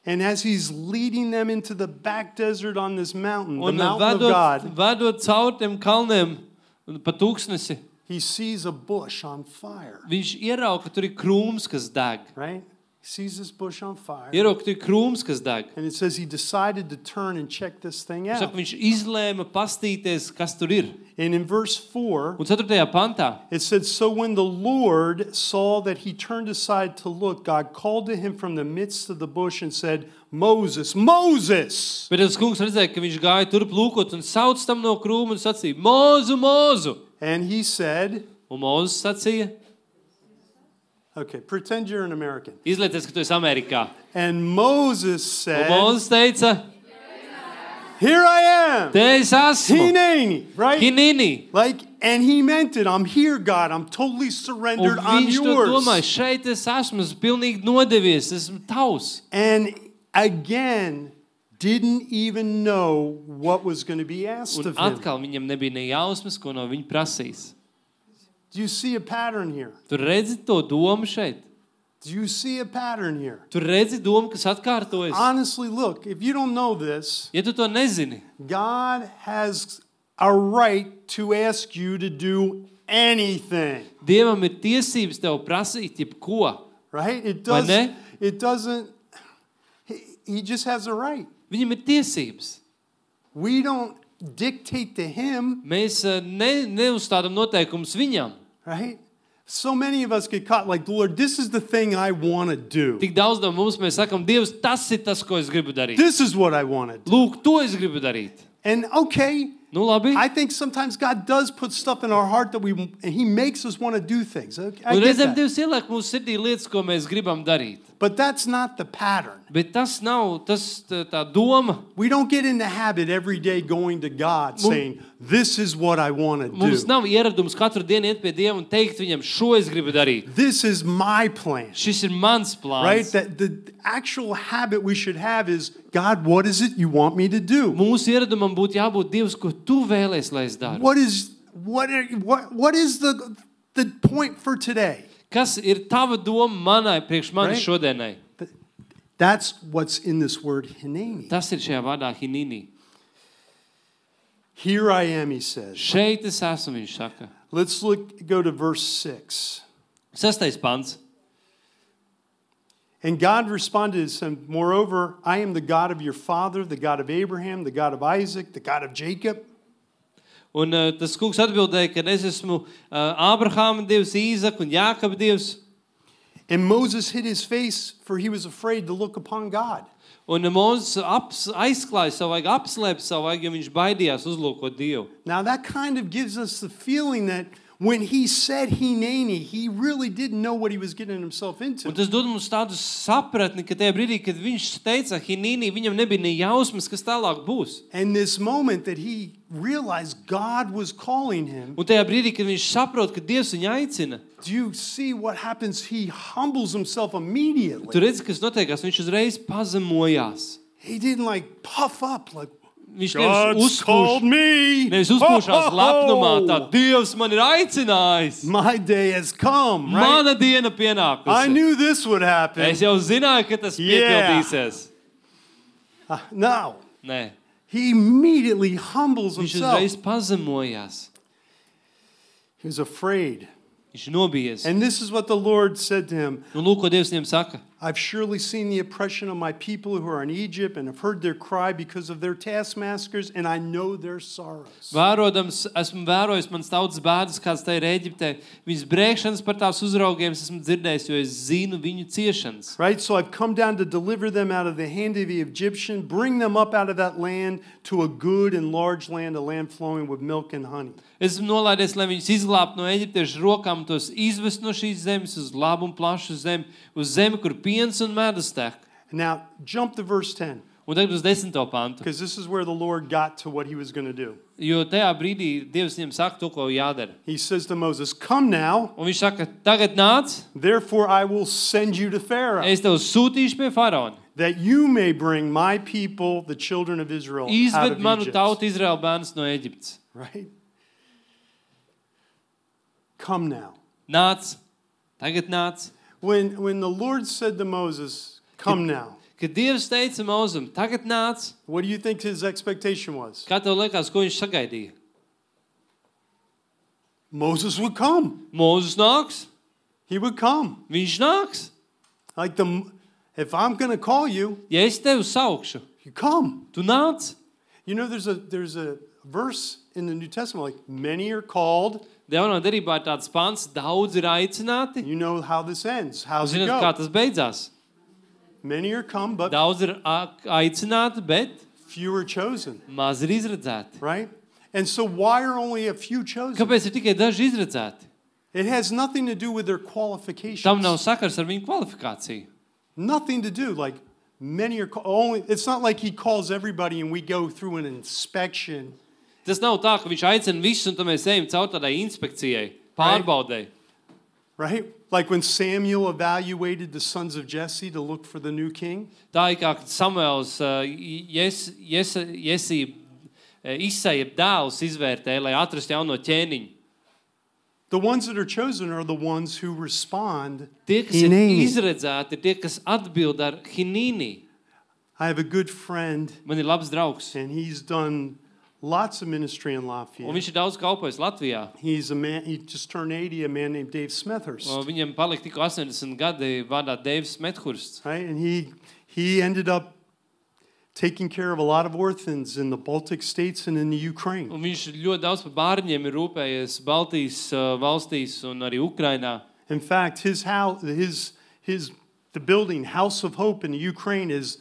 And as he's leading them into the back desert on this mountain, the un mountain of vedot, God, vedot cauri tiem kalniem pa tūkstnesi, he sees a bush on fire, viņš ierauga, ka tur ir krūms, kas deg. right? He sees this bush on fire. Ierauga, ka tur ir krūms, kas deg. And it says he decided to turn and check this thing Saka, out. viņš izlēma pastīties, kas tur ir. And in verse four, Un ceturtajā pantā, it said, so when the Lord saw that he turned aside to look, God called to him from the midst of the bush and said, Moses, Moses! bet tas kungs redzēja, ka viņš gāja turp lūkot un sauc tam no krūma un sacīja, Mūzu, Mūzu! And he said, Un Mūzes sacīja, okay, pretend you're an American. izlieties, ka tu esi Amerikā. And Moses Un said, Mūzes teica, here I am! te es esmu, Hineni, right? Hinini. Like, and he meant it. I'm here, God. I'm totally Un surrendered. I'm viņš to yours. domāja, šeit es esmu, esmu pilnīgi nodevies, esmu tavs. And again, didn't even know what was going to be asked Un of him. atkal viņam nebija ne jausmas, ko no viņa prasīs. Do you see a pattern here? Tu redzi to domu šeit? Do you see a pattern here? Tu redzi domu, kas atkārtojas? Honestly, look, if you don't know this, Ja tu to nezini, God has a right to ask you to do anything, Dievam ir tiesības tev prasīt jebko. right? It Vai does ne? it doesn't he, he just has a right. Viņam ir tiesības. We don't dictate to him, Mēs eh, ne, neuzstādam noteikumus viņam. right? So many of us get caught like, Lord, this is the thing I want to do. Tik daudz no mums mēs sakam, Dievs, tas ir tas, ko es gribu darīt. This is what I want to do. Lūk, to es gribu darīt. And okay, Nu labi. I think sometimes God does put stuff in our heart that we, and he makes us want to do things. Okay, I Un get reizēm that. Dievs ieliek mūsu sirdī lietas, ko mēs gribam darīt. But that's not the pattern. Bet tas nav tas, tā, tā doma. We don't get in the habit every day going to God saying, this is what I want to Mums do. nav ieradums katru dienu iet pie Dieva un teikt viņam, šo es gribu darīt. This is my plan. Šis ir mans Right? plāns. That the actual habit we should have is, God, what is it you want me to do? Mūsu ieradumam būtu jābūt Dievs, ko tu vēlies, lai es daru. What is what are, what what is the the point for today? Kas ir tava doma manai, priekš manis Right. šodienai? That's what's in this word hineni. Tas ir šajā vārdā hinini. Here I am, he says. Šeit es esmu, viņš saka. Let's look go to verse six. Sestais pants. And God responded and said, moreover, I am the God of your father, the God of Abraham, the God of Isaac, the God of Jacob. Un uh, tas kungs atbildēja, ka es esmu uh, Ābrahāma Dievs, Īzaka un Jākaba Dievs. And Moses hid his face, for he was afraid to look upon God. Un Mūzes aps, aizklāja savu vajag, apslēpa savu vajag, jo viņš baidījās uzlūkot Dievu. Now that kind of gives us the feeling that when he said hineni, he really didn't know what he was getting himself into. Un tas dod mums tādu sapratni, ka tajā brīdī, kad viņš teica hinīnī, viņam nebija ne jausmas, kas tālāk būs. And this moment that he realized God was calling him, Un tajā brīdī, kad viņš saprot, ka Dievs viņu aicina, do you see what happens? He humbles himself immediately. tu redzi, kas notiekās, viņš uzreiz pazemojās. He didn't like puff up like, Viņš nevis God's called uzpūš, me. nevis uzpūšās lepnumā, tā Ho, ho. Dievs man ir aicinājis. My day has come, right? Mana diena I pienākusi. knew this would happen. Es jau zināju, ka tas Yeah. piepildīsies. Uh, no. Nē, He immediately humbles viņš himself. uzreiz pazemojās. He was afraid. Viņš nobijies. And this is what the Lord said to him. Un lūk, ko Dievs viņam saka. I've surely seen the oppression of my people who are in Egypt and have heard their cry because of their taskmasters, and I know their sorrows. Vērodams, esmu vērojis manas tautas bēdas, kāds tā ir Ēģiptē. Viņas brēkšanas par tās uzraugiem esmu dzirdējis, jo es zinu viņu ciešanas. Right? So I've come down to deliver them out of the hand of the Egyptian, bring them up out of that land to a good and large land, a land flowing with milk and honey. Esmu nolaidies, lai viņus izglābtu no eģiptiešu rokām, tos izvest no šīs zemes uz labu un plašu zemi, uz zemi, kur piens un medus tek. Now, jump to verse ten. Un tagad uz desmito pantu. Because this is where the Lord got to what he was going to do. Jo tajā brīdī Dievs viņam saka to, ko jādara. He says to Moses, come now, Un viņš saka, tagad nāc, therefore I will send you to Pharaoh, es tev sūtīšu pie faraona. that you may bring my people, the children of Israel, out Izved of manu Egypt. tautu Izraēlu bērnus no Eģiptes. Right? Come now. Nāc, tagad nāc. When, when the Lord said to Moses, come now, Kad Dievs teica Mozum, tagad nāc, what do you think his expectation was? kā tev liekas, ko viņš sagaidīja? Moses would come. Mūzes nāks, He would come. viņš nāks. Like the, if I'm going to call you, Ja es tevi saukšu, you come. tu nāc. You know, there's a, there's a verse in the New Testament, like many are called. Jaunā derībā ir tāds pants, daudz ir aicināti. You know how this ends. How's it Zināt, kā go? tas beidzās? Many are come, but Daudz ir a- aicināti, bet few are chosen, maz ir izredzēti. right? And so why are only a few chosen? Kāpēc ir tikai daži izredzēti? It has nothing to do with their qualifications. Tam nav sakars ar viņu kvalifikāciju. Nothing to do. Like many are ca- only. It's not like he calls everybody and we go through an inspection. Tas nav tā, ka viņš aicina visus, un tad mēs ejam caur tādai inspekcijai, pārbaudei. Right? Like when Samuel evaluated the sons of Jesse to look for the new king. Tā ir kā kad Samuels uh, Jes, Jes, Jesī uh, Isaija dēls izvērtēja, lai atrastu jauno ķēniņu. The ones that are chosen are the ones who respond. Tie, kas ir Hinēni. izredzēti, ir tie, kas atbild ar hinīni. I have a good friend, Man ir labs draugs, and he's done lots of ministry in un Lafayette. viņš ir daudz kalpojis Latvijā. He's a man. He just turned eighty. A man named Dave Smethurst. Un Viņam palika tikko astoņdesmit gadi vārdā Deivs Methursts. Right, and he he ended up taking care of a lot of orphans in the Baltic states and in the Ukraine. Un viņš ļoti daudz par bērniem ir rūpējies Baltijas uh, valstīs un arī Ukrainā. In fact, his house, his his the building House of Hope in the Ukraine is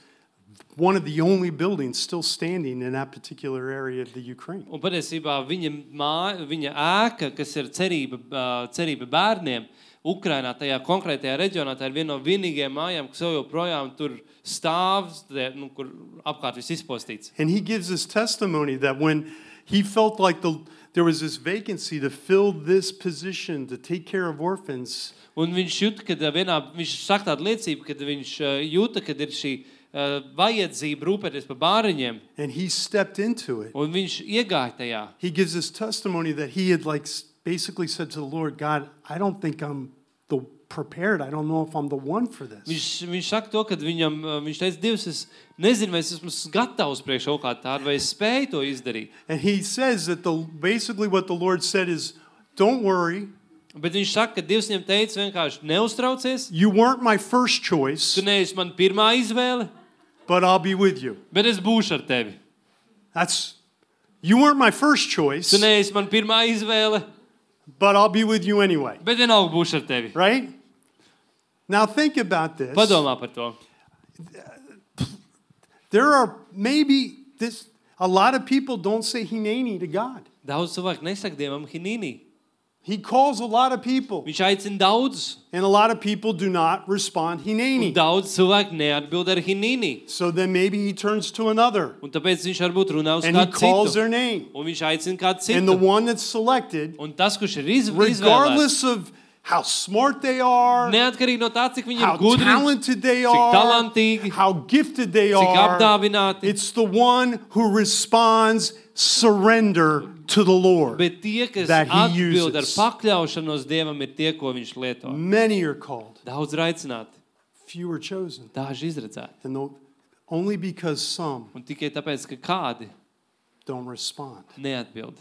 one of the only buildings still standing in that particular area of the Ukraine. Un patiesībā viņa māja, viņa ēka, kas ir cerība, uh, cerība bērniem Ukrainā, tajā konkrētajā reģionā, tā ir viena no vienīgajām mājām, kas vēl joprojām tur stāv, nu, kur apkārt viss izpostīts. And he gives this testimony that when he felt like the there was this vacancy to fill this position to take care of orphans. Un viņš jūt, kad vienā, viņš saka tādu liecību, kad viņš uh, jūta, kad ir šī uh, vajadzība rūpēties par bāriņiem, And he stepped into it. un viņš iegāja tajā. He gives this testimony that he had like s- basically said to the Lord, God, I don't think I'm the prepared. I don't know if I'm the one for this. Viņš, viņš saka to, kad viņam, uh, viņš teica, Dievs, es nezinu, vai es esmu gatavs priekš kaut kā tādu, vai es spēju to izdarīt. And he says that the basically what the Lord said is, don't worry. Bet viņš saka, ka Dievs viņam teica vienkārši neuztraucies, You weren't my first choice, tu neesi man pirmā izvēle, but I'll be with you. bet es būšu ar tevi. That's you weren't my first choice, Tu neesi man pirmā izvēle, but I'll be with you anyway. bet vienalga būšu ar tevi. Right? Now think about this. Padomā par to. There are maybe this a lot of people don't say Hineni to God. Daudz cilvēku nesaka Dievam hinīnī. He calls a lot of people, Viņš aicina daudzus, and a lot of people do not respond un Hineni. daudz cilvēku neatbild ar hinīnī. So then maybe he turns to another Un tāpēc viņš varbūt runā uz and he kādu calls citu. their name. Un viņš aicina kādu And the citu. one that's selected, Un tas, kurš ir iz, izvēlēts, regardless of how smart they are, neatkarīgi no tā, cik viņi how ir gudri, talented they cik are, talantīgi, how gifted they cik are, apdāvināti, it's the one who responds surrender to the Lord. bet tie, kas that he atbild ar uses. pakļaušanos Dievam, ir tie, ko viņš lieto. Many are called, Daudz ir aicināti, few are chosen. daži izredzēti. And the, only because some Un tikai tāpēc, ka kādi don't respond. neatbild.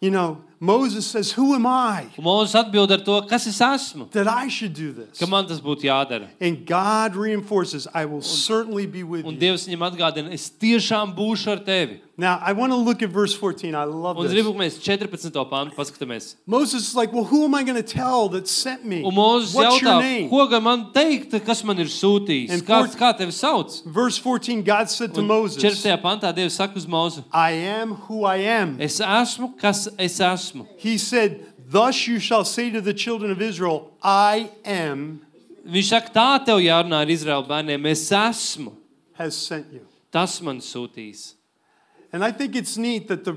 You know, Moses says, who am I Un Mūzes atbild ar to, kas es esmu, that I should do this? ka man tas būtu jādara. And God reinforces, I will certainly be with Un you. Dievs viņam atgādina, es tiešām būšu ar tevi. Now, I want to look at verse fourteen. I love Un this. gribu, ka mēs četrpadsmito pantu paskatāmies. Moses is like, well, who am I going to tell that sent me? Un Mūzes What's your jautā, name? ko gan man teikt, kas man ir sūtījis? And Kāds, four- kā tevi sauc? Verse fourteen, God said to Un Moses, četrpadsmitajā pantā Dievs saka uz Mūzu, I am who I am. es esmu, kas es esmu. He said, thus you shall say to the children of Israel, I am Viņš saka, tā tev jārunā ar Izraēlu bērniem, es esmu, has sent you. tas man sūtīs. And I think it's neat that the,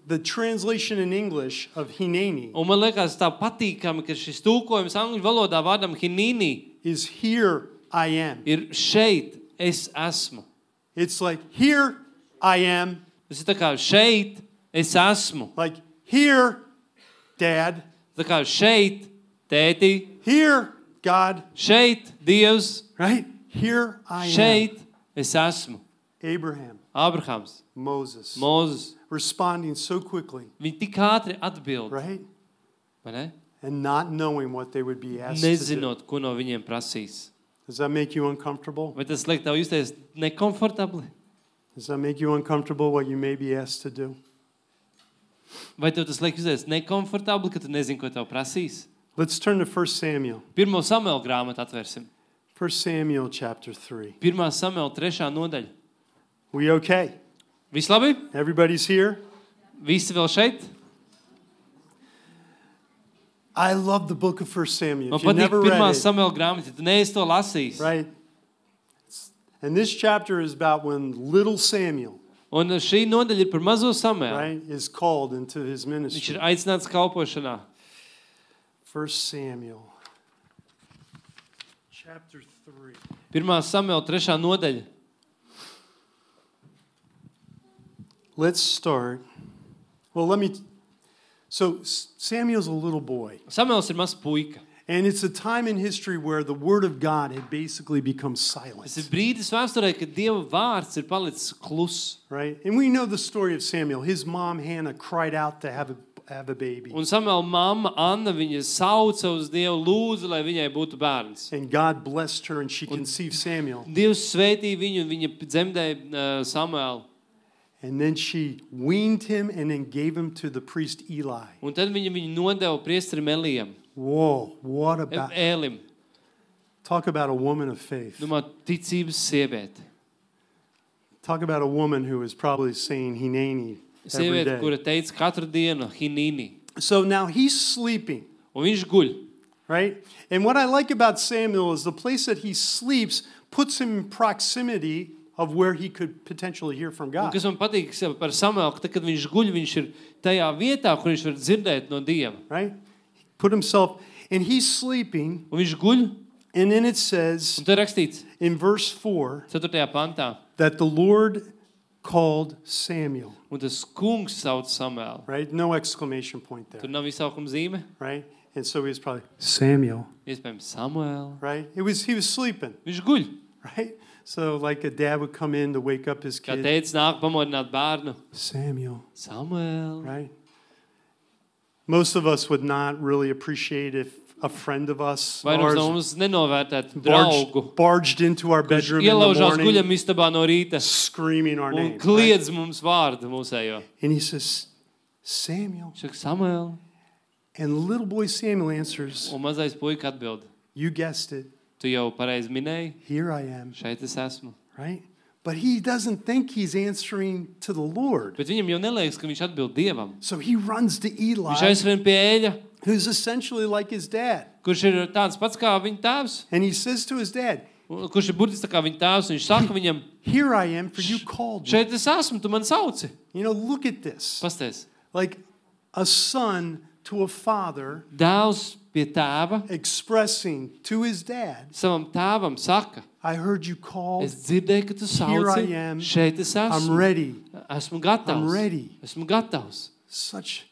the translation in English of Hineni Un man liekas tā patīkami, ka šis tulkojums angļu valodā vārdam hinīni is here I am. ir šeit, es esmu. It's like, here I am. Tas ir tā kā šeit, es esmu. Like, here, Dad. Tā kā šeit, tēti, Here, God. šeit, Dievs, Right? Here I am. šeit, es esmu. Abraham, Abrahams, Moses, Mūzes, responding so quickly, viņi tik ātri atbild, right? vai ne? And not knowing what they would be asked to do. Nezinot, ko no viņiem prasīs. Does that make you uncomfortable? Vai tas liek tev justies nekomfortabli? Does that make you uncomfortable what you may be asked to do? Vai tev tas liek justies nekomfortabli, ka tu nezini, ko tev prasīs? Let's turn to First Samuel. Pirmo Samuela grāmatu atvērsim. First Samuel chapter three. Pirmā Samuela trešā nodaļa. We okay? Viss labi? Everybody's here? Visi vēl šeit? I love the book of First Samuel. Man If you patīk never pirmā read it, Samuela grāmata, ja tu neesi to lasījis. right? And this chapter is about when little Samuel, Un šī nodaļa ir par mazo Samuelu. right, is called into his Viņš ministry. ir aicināts kalpošanā. First Samuel chapter three. Pirmā Samuela trešā nodaļa. Let's start. Well, let me. So Samuel's a little boy, Samuels ir mazs puika. and it's a time in history where the word of God had basically become Tas ir silent, brīdis vēsturē, kad Dieva vārds ir palicis kluss. right? And we know the story of Samuel. His mom Hannah cried out to have a have a baby, Un Samuela mamma Anna viņa sauca uz Dievu, lūdza, lai viņai būtu bērns. and God blessed her, and she conceived Samuel. Dievs svētīja viņu un viņa dzemdēja uh, Samuelu. And then she weaned him and then gave him to the priest Eli. Un tad viņa viņu nodeva priesterim Elijam, Whoa, what about, Ēlim. talk about a woman of faith. Domā, ticības sieviete. Talk about a woman who is probably saying Hineni every Sieviete, day. kura teica katru dienu hinīni. So now he's sleeping, Un viņš guļ. right? And what I like about Samuel is the place that he sleeps puts him in proximity of where he could potentially hear from Un God. kas man patīk par Samuelu, ka tad, kad viņš guļ, viņš ir tajā vietā, kur viņš var dzirdēt no Dieva. Right? He put himself, and he's sleeping, Un viņš guļ, and then it says un tur rakstīts in verse four ceturtajā pantā. that the Lord called Samuel. Un tas kungs sauc Samuelu. Right? No exclamation point there. Tur nav izsaukuma zīme. Right? And so he was probably Samuel. Iespējams, Samuelu. Right? It was he was sleeping. Viņš guļ. Right? So like a dad would come in to wake up his Kā kid. teica, nāk pamodināt bērnu. Samuel. Samuelu. Right? Most of us would not really appreciate if a friend of us Vai ours no mums nenovērtēt draugu, barged, barged into our kurš bedroom in the ielaužās morning guļamistabā no rīta screaming our un name. Right? kliedz mums vārdu mūsējo. And he says, Samuel. Viņš saka, Samuel. And little boy Samuel answers, Un mazais puika atbild. you guessed it, Tu jau pareizi minēji, here I am. šeit es esmu. Right? But he doesn't think he's answering to the Lord. Bet viņam jau neliekas, ka viņš atbild Dievam. So he runs to Viņš Eli, aizskrien pie Ēļa, who's essentially like his dad. kurš ir tāds pats kā viņa tēvs. And he says to his dad, Un kurš ir burtiski tā kā viņa tēvs. Viņš saka viņam, here I am, for you called me. šeit es esmu, tu man sauci. You know, look at this. Pasties. Like a son to a father Dēls pie tēva expressing to his dad, savam tēvam saka, I heard you called, es dzirdēju, ka tu Here I sauci, am. šeit es I'm esmu. ready. Esmu gatavs. I'm ready. Esmu gatavs. Such,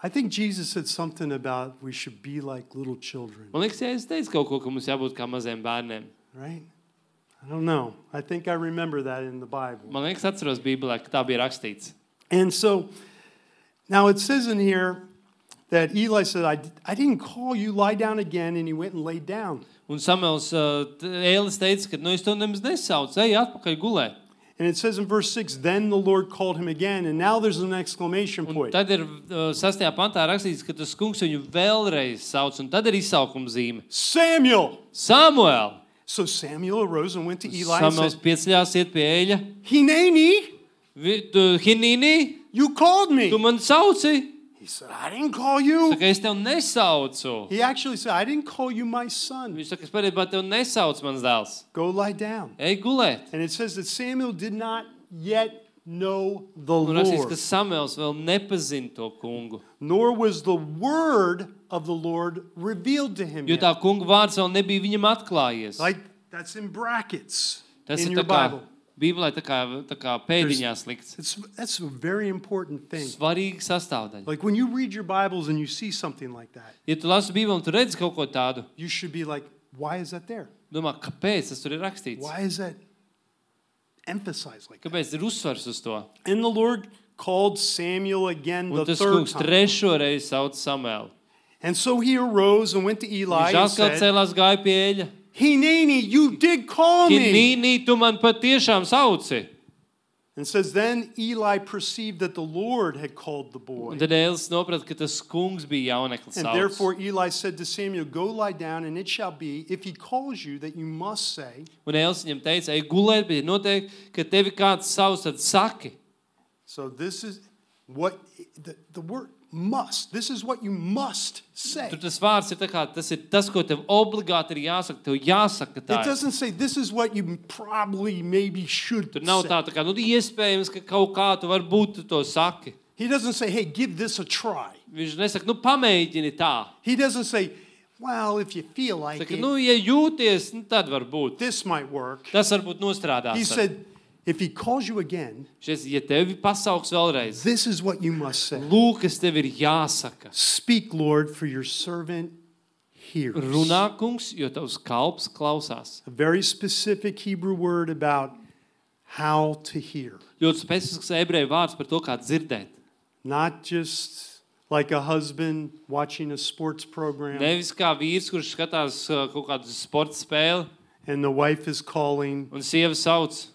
I think Jesus said something about we should be like little children, Man liekas, ja es teicu kaut ko, ka mums jābūt kā maziem bērniem. right? I don't know. I think I remember that in the Bible. Man liekas, atceros Bībelē, ka tā bija rakstīts. And so Now it says in here that Eli said, I, I didn't call you, lie down again, and he went and laid down. Un Samuels, uh, Ēlis teica, ka nu es to nemaz nesaucu, ej atpakaļ gulēt. And it says in verse six, then the Lord called him again, and now there's an exclamation Un point. tad ir uh, sastajā pantā rakstīts, ka tas kungs viņu vēlreiz sauc, un tad ir izsaukuma zīme. Samuel! Samuel! So Samuel arose and went to Eli and Samuels said, pieceļās iet pie Ēļa. Hineni, Vi- tu, Hinīni, you called me. tu man sauci? He said, I didn't call you. Saka, es tev nesaucu. He actually said, I didn't call you my son. Viņš saka, es patiesībā tev nesaucu, mans dēls. Go lie down. Ej gulēt. And it says that Samuel did not yet know the Un rakstīts, ka Lord, Samuels vēl nepazina to kungu. nor was the word of the Lord revealed to him Jo tā yet. kunga vārds vēl nebija viņam atklājies. Like, that's in brackets Tas in ir your tā kā, Bible. Bībelē tā kā, tā kā pēdiņās likts. It's, that's a very important thing. Svarīga sastāvdaļa. Like when you read your Bibles and you see something like that, Ja tu lasi Bībeli un tu redzi kaut ko tādu, you should be like, why is that there? domā, kāpēc tas tur ir rakstīts? Why is that emphasized like that? Kāpēc ir uzsvars uz to? And the Lord called Samuel again Un the tas third kungs time. trešo reizi sauc Samuelu. And so he arose and went to Eli Viņš and atkal said, cēlās gāja pie Ēļa. Hineni, you did call me. Hinīni, tu man patiešām sauci. And says, then Eli perceived that the Lord had called the boy. Un tad Ēlis noprata, ka tas kungs bija jauneklis And sauc. therefore Eli said to Samuel, go lie down, and it shall be, if he calls you, that you must say, Un Ēlis viņam teica, ej gulēt, bet noteikti, ka tevi kāds sauc, tad saki. so this is what, the, the word must, this is what you must say. Tur tas vārds ir tā kā, tas ir tas, ko tev obligāti ir jāsaka, tev jāsaka tā. It doesn't say this is what you probably maybe should Tur nav say. tā, tā kā, nu, iespējams, ka kaut kā tu varbūt tu to saki. He doesn't say, hey, give this a try. Viņš nesaka, nu, pamēģini tā. He doesn't say, well, if you feel like Saka, it, nu, ja jūties, nu, tad varbūt. this might work. Tas varbūt nostrādās. He said, if he calls you again, Šies, ja tevi pasauks vēlreiz, this is what you must say. lūk, kas tev ir jāsaka. Speak, Lord, for your servant hears. Runā, kungs, jo tavs kalps klausās. A very specific Hebrew word about how to hear. Ļoti specifisks ebreju vārds par to, kā dzirdēt. Not just like a husband watching a sports program Nevis kā vīrs, kurš skatās uh, kaut kādu sporta spēli, and the wife is calling, un sieva sauc,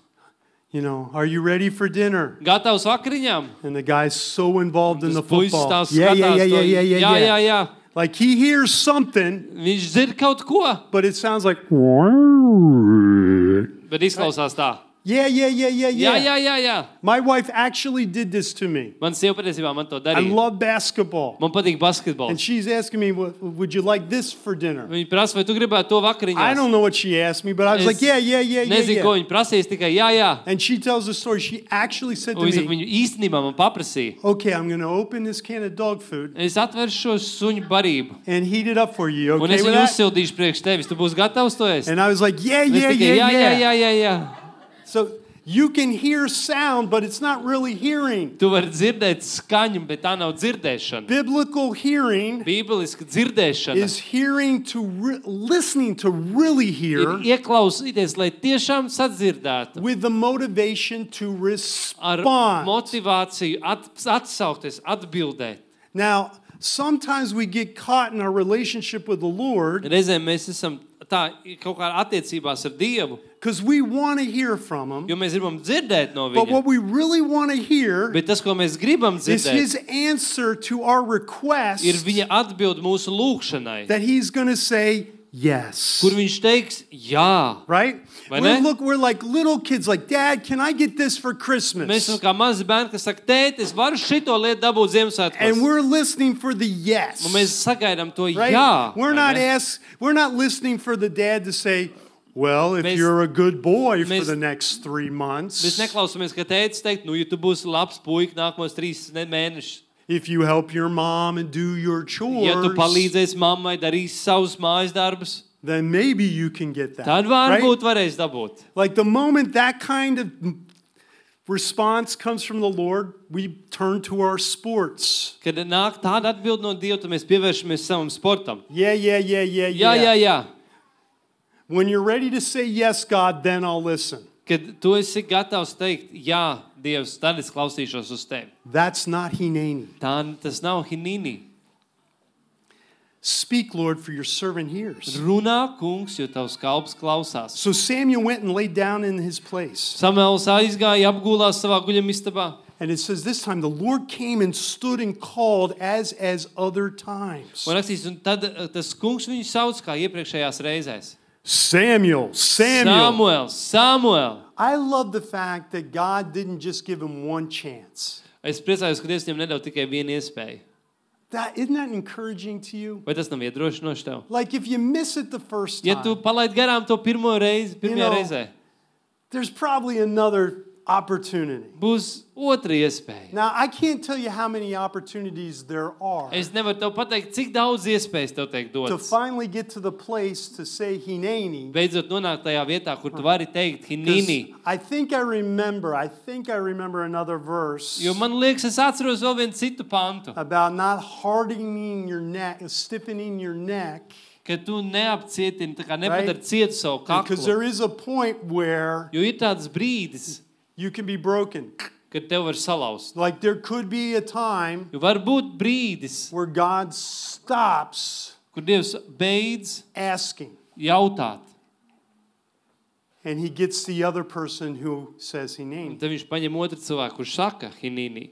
you know, are you ready for dinner? gatavs vakariņām? And the guy's so involved in the Tas puisis football. tā Yeah, skatās yeah, yeah, to, yeah, yeah, jā, yeah, jā, jā. Like he hears something, Viņš dzird kaut ko, but it sounds like, bet izklausās tā. yeah, yeah, yeah, yeah, Jā, yeah. jā, jā, jā. My wife actually did this to me. Man sieva patiesībā man to I darīja. love basketball. Man patīk And basketbols. she's asking me, "Would- would you like this for dinner? Viņa prasa, vai tu gribētu to I vakariņās? don't know what she asked me, but I was Es like, yeah, yeah, yeah, yeah, Nezinu, ko yeah. viņa prasīs, tikai jā, jā. And she tells the story. She actually said to Un viņa saka, me, viņu īstenībā man paprasīja. okay, I'm going to open this can of dog food Es atveršu šo suņu barību. and heat it up for you. Un Okay es with viņu that? uzsildīšu priekš tevis. Tu būsi gatavs to ēst? And I was like, yeah, Un es yeah, tikai, yeah, jā, jā, yeah. jā, jā, jā. So you can hear sound, but it's not really hearing. Tu vari dzirdēt skaņu, bet tā nav dzirdēšana. Biblical hearing Bībeliska dzirdēšana is hearing to re- listening to really ir hear ieklausīties, lai tiešām sadzirdētu. with the motivation to Ar respond. motivāciju at, atsaukties, atbildēt. Now, sometimes we get caught in our relationship with the Lord Reizēm mēs esam tā kaut kā attiecībās ar Dievu, because we want to hear from Him. jo mēs gribam dzirdēt no But viņa. what we really want to hear Bet tas, ko mēs gribam is dzirdēt, His answer to our request ir viņa atbild mūsu lūgšanai, that He's going to say yes. kur viņš teiks jā. Right? Vai We're, ne? look, we're like little kids, like, Dad, can I get this for Mēs Christmas? esam kā mazi bērni, kas saka, tēt, es varu šito lietu dabūt Ziemassvētkos. And we're listening for the yes. Un mēs sagaidām to Right? jā. We're vai not ne? ask, we're not listening for the dad to say, well, if Mēs- you're a good boy for mēs- the next three Mēs months, neklausāmies, ka tētis teikt, nu, ja tu būsi labs puika nākamos trīs ne- mēnešus, if you help your mom and do your chores, ja tu palīdzēsi mammai darīt savus mājas darbus, then maybe you can get that. tad right? varbūt varēs dabūt. Like the moment that kind of response comes from the Lord, we turn to our sports. Kad nāk tāda atbild no Dieva, tad mēs pievēršamies savam sportam. Yeah, yeah, yeah, yeah, Jā, yeah. jā, jā. When you're ready to say yes, God, then I'll listen. kad tu esi gatavs teikt, jā, Dievs, tad es klausīšos uz tevi. That's not hineni. Tā, tas nav hinīni. Speak, Lord, for your servant hears. Runā, kungs, jo tavs kalps klausās. So Samuel went and laid down in his place. Samuels aizgāja, apgulās savā guļamistabā. And it says this time the Lord came and stood and called as as other times. Un rakstīts, un tad tas kungs viņu sauc kā iepriekšējās reizēs. Samuel, Samuel. Samuel, Samuel. I love the fact that God didn't just give him one chance. Es priecājos, ka Dievs viņam nedod tikai vienu iespēju. That, isn't that encouraging to you? Vai tas nav iedrošinoši tev? Like if you miss it the first time, Ja tu palaid garām to pirmo reizi, pirmajā You know, reizē, there's probably another opportunity. būs otra iespēja. Now, I can't tell you how many opportunities there are Es nevaru tev pateikt, cik daudz iespējas tev tiek to dotas. finally get to the place to say hineni. Beidzot nonākt tajā vietā, kur tu vari teikt hinīni. I think I remember, I think I remember another verse Jo man liekas, es atceros vēl vienu citu pantu, about not hardening your neck, stiffening your neck, ka tu neapcietini, tā kā nepadari Right. cietu savu because kaklu. there is a point where Jo ir tāds brīdis, you can be broken. kad tev var salauzt. Like there could be a time Jo var būt brīdis, where God stops kur Dievs beidz asking jautāt. and he gets the other person who says Un hineni. tad viņš paņem otru cilvēku, kurš saka hinīni.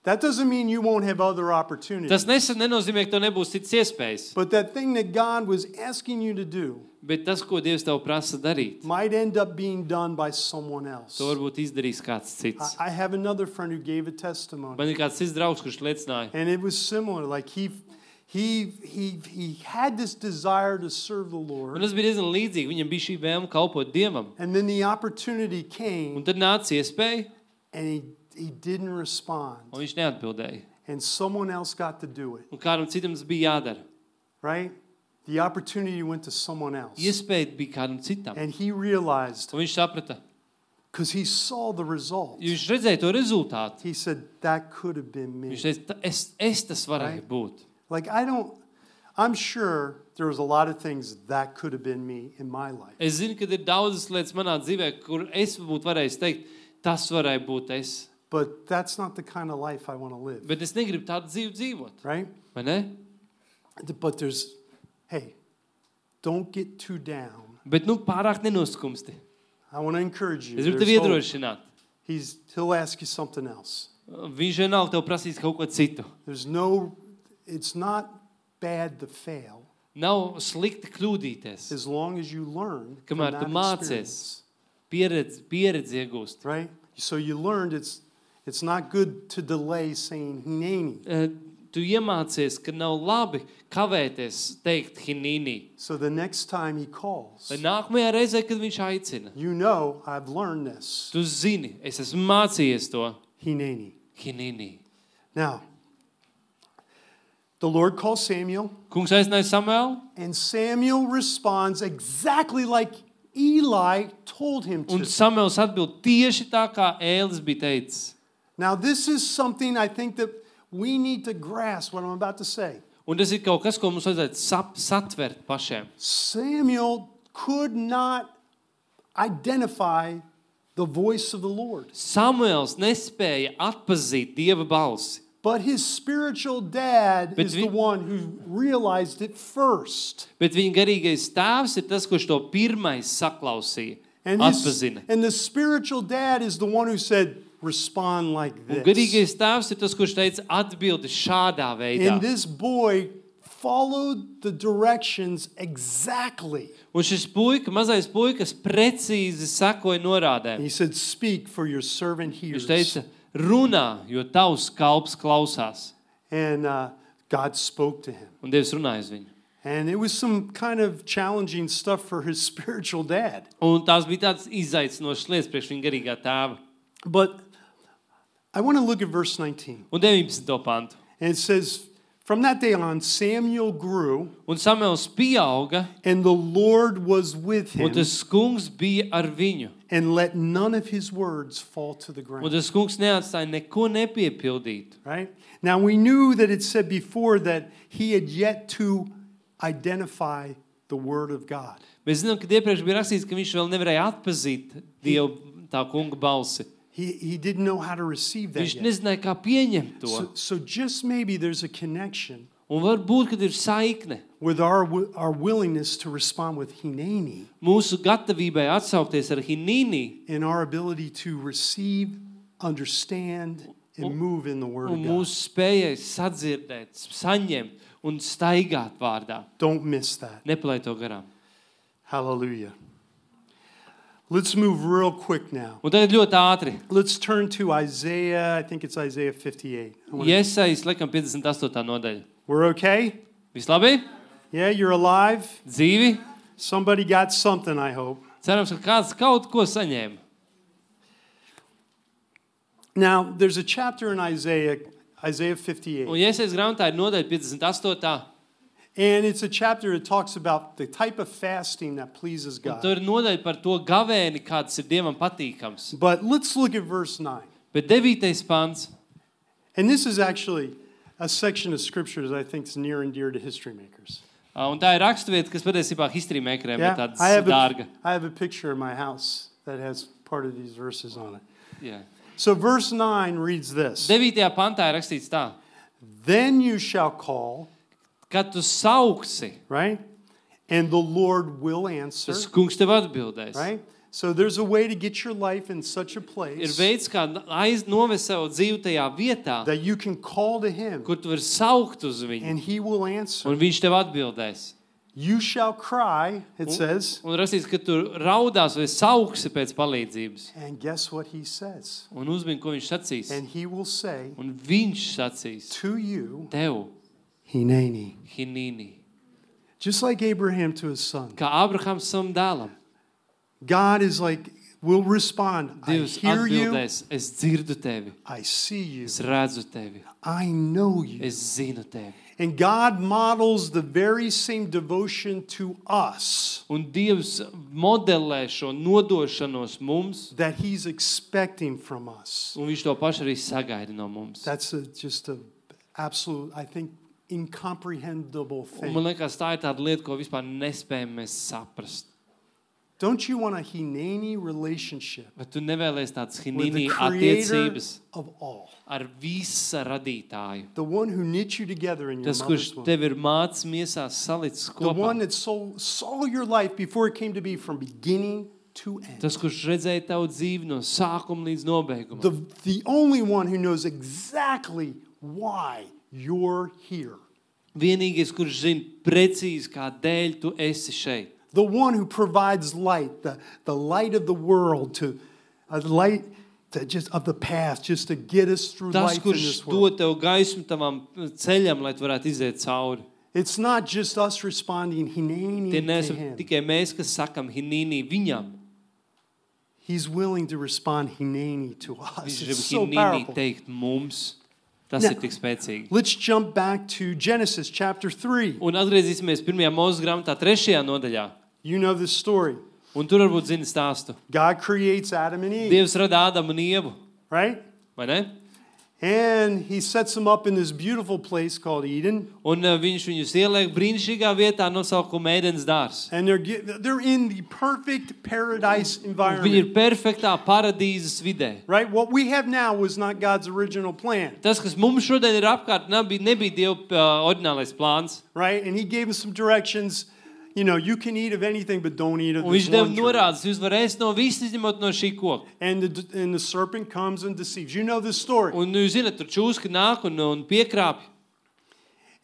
That doesn't mean you won't have other opportunities. Tas nesen nenozīmē, ka tev nebūs cits iespējas. But that thing that God was asking you to do Bet tas, ko Dievs tev prasa darīt, might end up being done by someone else. to varbūt izdarīs kāds cits. I I have another friend who gave a testimony. Man ir kāds cits draugs, kurš liecināja. And it was similar. Like he he he he had this desire to serve the Un Lord. tas bija diezgan līdzīgi. Viņam bija šī vēlme kalpot Dievam. And then the opportunity Un came tad nāca iespēja, and he he didn't respond. un viņš neatbildēja. And someone else got to do it, Un kādam citam tas bija jādara. right? The opportunity went to someone else. Iespēja bija kādam citam. And he realized, Un viņš saprata, because he saw the result, jo viņš redzēja to rezultātu. he said, that could have been me. Viņš teica, "Ta- es, es tas varēju Right. būt. Like, I don't, I'm sure there was a lot of things that could have been me in my life. Es zinu, ka ir daudzas lietas manā dzīvē, kur es būtu varējis teikt, tas varēja būt es. But that's not the kind of life I want to live, Bet es negribu tādu dzīvi dzīvot. right? Vai ne? But there's, hey, don't get too down. Bet nu pārāk nenoskumsti. I want to encourage you. Es gribu There's tevi hope. iedrošināt. He's, he'll ask you something else. Viņš vienalga tev prasīs kaut ko citu. There's no, it's not bad to fail Nav slikti kļūdīties. as long as you learn from Kamēr tu that mācies, experience, pieredzi, pieredzi iegūst. right? So you learned it's, it's not good to delay saying hineni. Eh, Tu iemācies, ka nav labi kavēties teikt hinīni. So the next time he calls, Lai nākamajā reizē, kad viņš aicina, you know, I've learned this. tu zini, es esmu mācījies to Hineni. hinīni. Now, the Lord calls Samuel, Kungs aicināja Samuelu, and Samuel responds exactly like Eli told him un to. Samuels atbild tieši tā, kā Ēlis bija teicis. Now, this is something I think that we need to grasp what I'm about to say. Un tas ir kaut kas, ko mums vajadzētu sap, satvert pašiem. Samuel could not identify the voice of the Lord, Samuels nespēja atpazīt Dieva balsi, but his spiritual dad Bet is vi- the one who realized it first. bet viņa garīgais tēvs ir tas, kurš to pirmais saklausīja, And, his, atpazina. and the spiritual dad is the one who said, respond like Un this. garīgais tēvs ir tas, kurš teica atbildi šādā veidā. And this boy followed the directions exactly. Un šis puika, mazais puikas, precīzi sekoja norādēm. He said, speak for your servant hears. Viņš teica, runā, jo tavs kalps klausās. And uh, God spoke to him. Un Dievs runāja uz viņu. And it was some kind of challenging stuff for his spiritual dad. Un tās bija tādas izaicinošas lietas priekš viņa garīgā tēva. But I want to look at verse nineteen. Un deviņpadsmito pantu. And it says, from that day on, Samuel grew, Un Samuels pieauga, and the Lord was with un him, tas kungs bija ar viņu. and let none of his words fall to the Un ground. tas kungs neatstāja neko nepiepildīt. Right? Now we knew that it said before that he had yet to identify the word of God. Mēs zinām, ka iepriekš bija rakstīts, ka viņš vēl nevarēja atpazīt Dievu, tā kunga balsi. He, he didn't know how to receive that Viņš yet. nezināja, kā pieņemt to. So, so just maybe there's a connection Un varbūt, kad ir saikne with our, wi- our willingness to respond with hineni mūsu gatavībai atsaukties ar hinīni in our ability to receive, understand, and move in the Word un of God. mūsu spējai sadzirdēt, saņemt un staigāt vārdā. Don't miss that. Nepalaid to garām. Hallelujah. Let's move real quick now. Un tagad ļoti ātri. Let's turn to Isaiah. I think it's Isaiah fifty-eight. I wanna- Iesaist, laikam, piecdesmit astotā nodaļa. We're okay? Viss labi? Yeah, you're alive? Dzīvi? Somebody got something, I hope. Cerams, ka kāds kaut ko saņēma. Now, there's a chapter in Isaiah, Isaiah fifty-eight. Un Iesaist grāmatā ir nodaļa piecdesmit astotā. And it's a chapter that talks about the type of fasting that pleases Un God. tur ir nodaļa par to gavēni, kāds ir Dievam patīkams. But let's look at verse nine. Bet devītais pants. And this is actually a section of scripture that I think is near and dear to history makers. ā, Un tā ir raksturvieta, kas patiesībā histrīmēkriem ir Yeah, tāds I have, dārga. a, I have a picture in my house that has part of these verses on it. Jā. So verse nine reads this. Devītajā pantā ir rakstīts tā. Then you shall call, Kad tu sauksi, right? And the Lord will answer, tas kungs tev atbildēs. right? So there's a way to get your life in such a Ir place veids, kā aiz novest savu dzīvi tajā vietā, that you can call to him kur tu vari saukt uz viņu, and he will answer. un viņš tev atbildēs. You shall cry, it says, Un rakstīts, ka tu raudās vai sauksi pēc palīdzības. and guess what he says? Un uzmini, ko viņš sacīs. And he will say Un viņš sacīs to you, tev, Hineni. Hinīni. Just like Abraham to his son. Kā Abrahams savam dēlam. God is like, will respond. I Dievs hear you. atbildēs, es dzirdu tevi, I see you. es redzu tevi, I know you. es zinu tevi. And God models the very same devotion to us Un Dievs modelē šo nodošanos mums, that he's expecting from us. un viņš to pašu arī sagaida no mums. That's a, just a absolute, I think, incomprehensible Un man thing. liekas, tā ir tāda lieta, ko vispār nespējam mēs saprast. Don't you want a Hineni relationship Bet tu nevēlies tādas with hinīni the creator attiecības of all? ar visa radītāju. The one who knit you together in your Tas, kurš mother's womb. tev ir mācis miesās salicis The one kopā. that saw, saw your life before it came to be from beginning to end. Tas, kurš redzēja tavu dzīvi no sākuma līdz nobeigumam. The, the only one who knows exactly why you're here. Vienīgais, kurš zina precīzi, kādēļ tu esi šeit. The one who provides light, the, the light of the world, to a light to just of the path, just to get us through Tas, life in kurš this world. dod tev gaismu tavam ceļam, lai tu varētu iziet cauri. It's not just us responding Tie hineni to neesam him. tikai mēs, kas sakam hinīni viņam. He's willing to respond hineni to us. Viņš It's grib so hinīni powerful. teikt mums. Tas Now- ir tik spēcīgi. Let's jump back to Genesis chapter three. Un atgriezīsimies pirmajā mūzes grāmatā, trešajā nodaļā. You know this story. Un tur varbūt zini stāstu. God creates Adam and Eve, Dievs rada Ādamu un Ievu, right? vai ne? And he sets them up in this beautiful place called Eden. Un uh, viņš viņus ieliek brīnišķīgā vietā nosaukuma Ēdens dārs. And they're, ge- they're in the perfect paradise Viņi ir environment, perfektā paradīzes vidē. right? What we have now was not God's original plan, Tas, kas mums šodien ir apkārt, nebija, nebija Dieva uh, oriģinālais plāns. right? And he gave us some directions. You know, you can eat of anything, but don't eat of Un this viņš deva one tree. norādes, jūs varat ēst no visas, izņemot no šī koka. And the, and the serpent comes and deceives. You know this story. Un jūs zināt, tur čūska nāk un, un piekrāpj,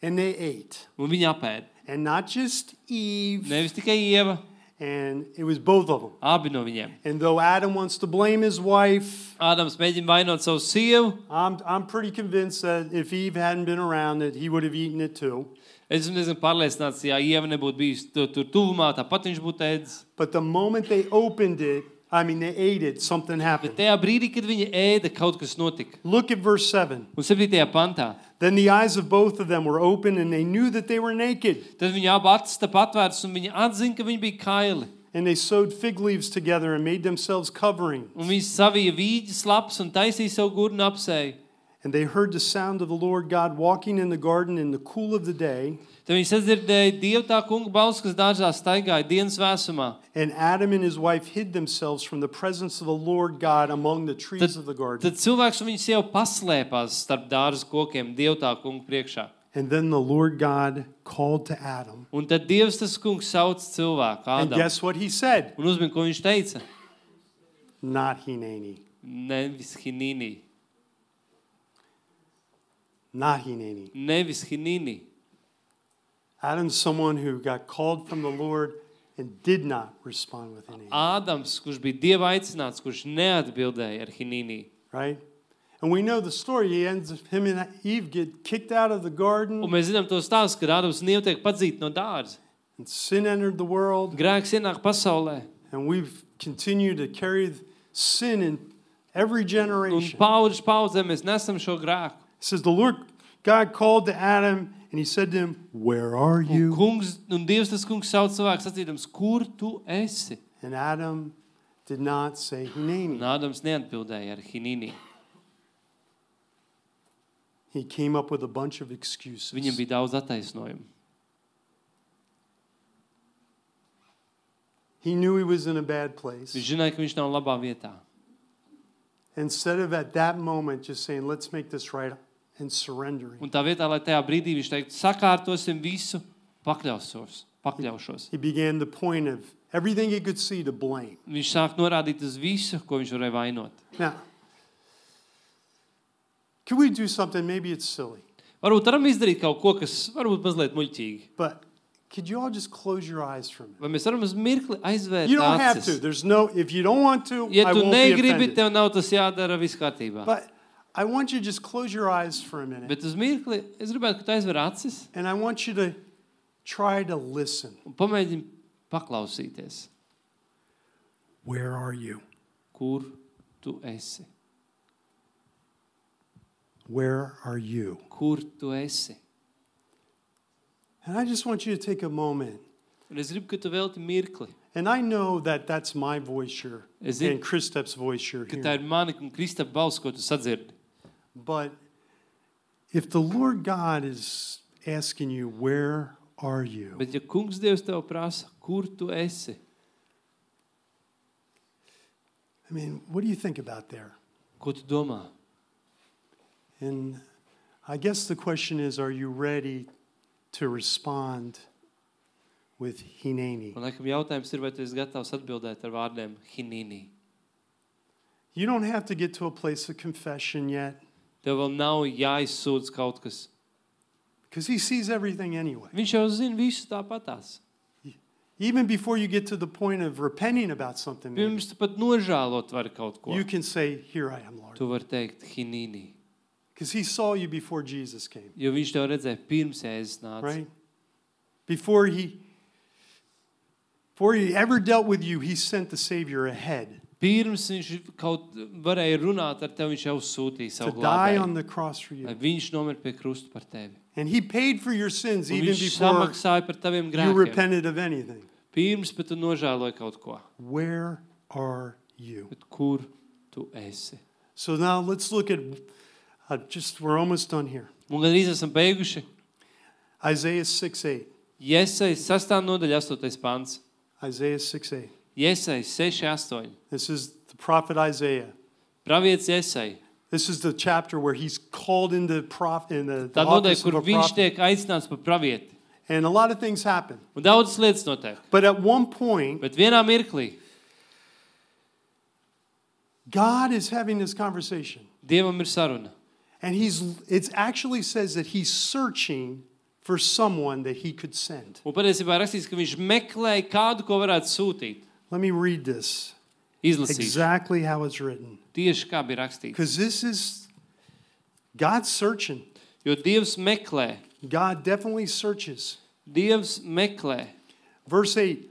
And they ate. un viņi apēd. And not just Eve, Nevis tikai Ieva, and it was both of them. abi no viņiem. And though Adam wants to blame his wife, Ādams mēģina vainot savu sievu. I'm, I'm pretty convinced that if Eve hadn't been around, that he would have eaten it too. Es esmu diezgan pārliecināts, ja Ieva nebūtu bijusi tur, tur tuvumā, tāpat viņš būtu ēdis. But the moment they opened it, I mean, they ate it, something Bet happened. tajā brīdī, kad viņi ēda, kaut kas notika. Look at verse seven. Un septītajā pantā. Then the eyes of both of them were open, and they knew that they were naked. Tad viņi abi acis tā patvērts, un viņi atzina, ka viņi bija kaili. And they sewed fig leaves together and made themselves coverings. Un viņi savija vīģes lapas un taisīja savu gurnu apsēju. And they heard the sound of the Lord God walking in the garden in the cool of the day. Tad viņi sadzirdēja Dievu tā kunga balsi, kas dārzā staigāja dienas vēsumā. And Adam and his wife hid themselves from the presence of the Lord God among the trees Tad, of the garden. tad cilvēks un viņa sieva paslēpās starp dārza kokiem Dievu tā kunga priekšā. And then the Lord God called to Adam. Un tad Dievs tas kungs sauc cilvēku And Ādamu. guess what he said? Un uzmin, ko viņš teica? Not Hineni. Nevis Hinīni. Not Hineni. Nevis Hinīni. Adam's someone who got called from the Lord and did not respond with Hineni. Ādams, kurš bija Dieva aicināts, kurš neatbildēja ar Hinīni. Right? And we know the story. He ends, him and Eve get kicked out of the garden. Un mēs zinām to stāstu, kad Ādams un Ieva tiek padzīti no dārza. And sin entered the world. Grēks ienāk pasaulē. And we've continued to carry sin in every Un generation. paudzes paudzē mēs nesam šo grēku. It says the Lord God called to Adam and he said to him, "Where are Un, you?" kungs, un Dievs tas kungs sauc cilvēku sacīdams, kur tu esi? And Adam did not say Un Hineni. Ādams neatbildēja ar Hinīni. He came up with a bunch of excuses. Viņam bija daudz attaisnojumu. He knew he was in a bad place. Viņš zināja, ka viņš nav labā vietā. Instead of at that moment just saying, "Let's make this right," and surrendering, Un tā vietā, lai tajā brīdī viņš teiktu, sakārtosim visu, pakļaušos, pakļaušos. he began the point of everything he could see to blame. Viņš sāk norādīt uz visu, ko viņš varēja vainot. Now, could we do something? Maybe it's silly, Varbūt varam izdarīt kaut ko, kas varbūt mazliet muļķīgi. but could you all just close your eyes for a minute? Vai mēs varam uz mirkli aizvērt You don't have to. acis? There's no. If you don't want to, Ja I tu won't be negribi, offended. tev nav tas jādara, viss kārtībā. But I want you to just close your eyes for a minute, Bet uz mirkli es gribētu, ka tu aizver acis and I want you to try to listen. un pamēģini paklausīties. Where are you? Kur tu esi? Where are you? Kur tu esi? And I just want you to take a moment. Un es gribu, ka tu velti mirkli. And I know that that's my voice here Is it- and Kristap's voice here. Ka tā here. ir mana un Kristapa balss, ko tu sadzirdi. But if the Lord God is asking you, where are you? Bet ja kungs Dievs tev prasa, kur tu esi? I mean, what do you think about there? Ko tu domā? And I guess the question is, are you ready to respond with Hineni? Man laikam jautājums ir, vai tu esi gatavs atbildēt ar vārdiem Hinīni? You don't have to get to a place of confession yet, Tev vēl nav jāizsūdz kaut kas. because he sees everything anyway. Viņš jau zina visu tāpatās. Even before you get to the point of repenting about something, maybe, Pirms tu pat nožēlot vari kaut ko. you can say, here I am, Lord. Tu vari teikt Hinīni. Because he saw you before Jesus came, Jo viņš tev redzēja pirms Jēzus nāca. right? Before he, before he ever dealt with you, he sent the Savior ahead Pirms viņš kaut varēja runāt ar tevi, viņš jau sūtīja to savu die glābēju. on the cross for Lai you. viņš nomir pie krusta par tevi. And he paid for your sins Un even viņš before samaksāja par taviem you grēkiem. repented of anything. Pirms, bet tu nožēloji kaut ko. Where are you? Bet kur tu esi? So now let's look at, uh, just, we're almost done here. Un gandrīz esam beiguši. Isaiah six eight. Jesai sastā nodaļa astotais pants. Isaiah six eight. Jesai seši astoņi. This is the prophet Isaiah. Pravietis Jesai. This is the chapter where he's called into prof, in the, the Tā nodaļa, office of kur a viņš prophet. tiek aicināts par pravieti. And a lot of things happen. Un daudzas lietas notiek. But at one point, Bet vienā mirklī God is having this conversation. Dievam ir saruna. And he's it actually says that he's searching for someone that he could send. Un patiesībā rakstīts, ka viņš meklēja kādu, ko varētu sūtīt. Let me read this Izlasīšu. exactly how it's written. Tieši kā bija rakstīts. Because this is God's searching. Jo Dievs meklē. God definitely searches. Dievs meklē. Verse eight,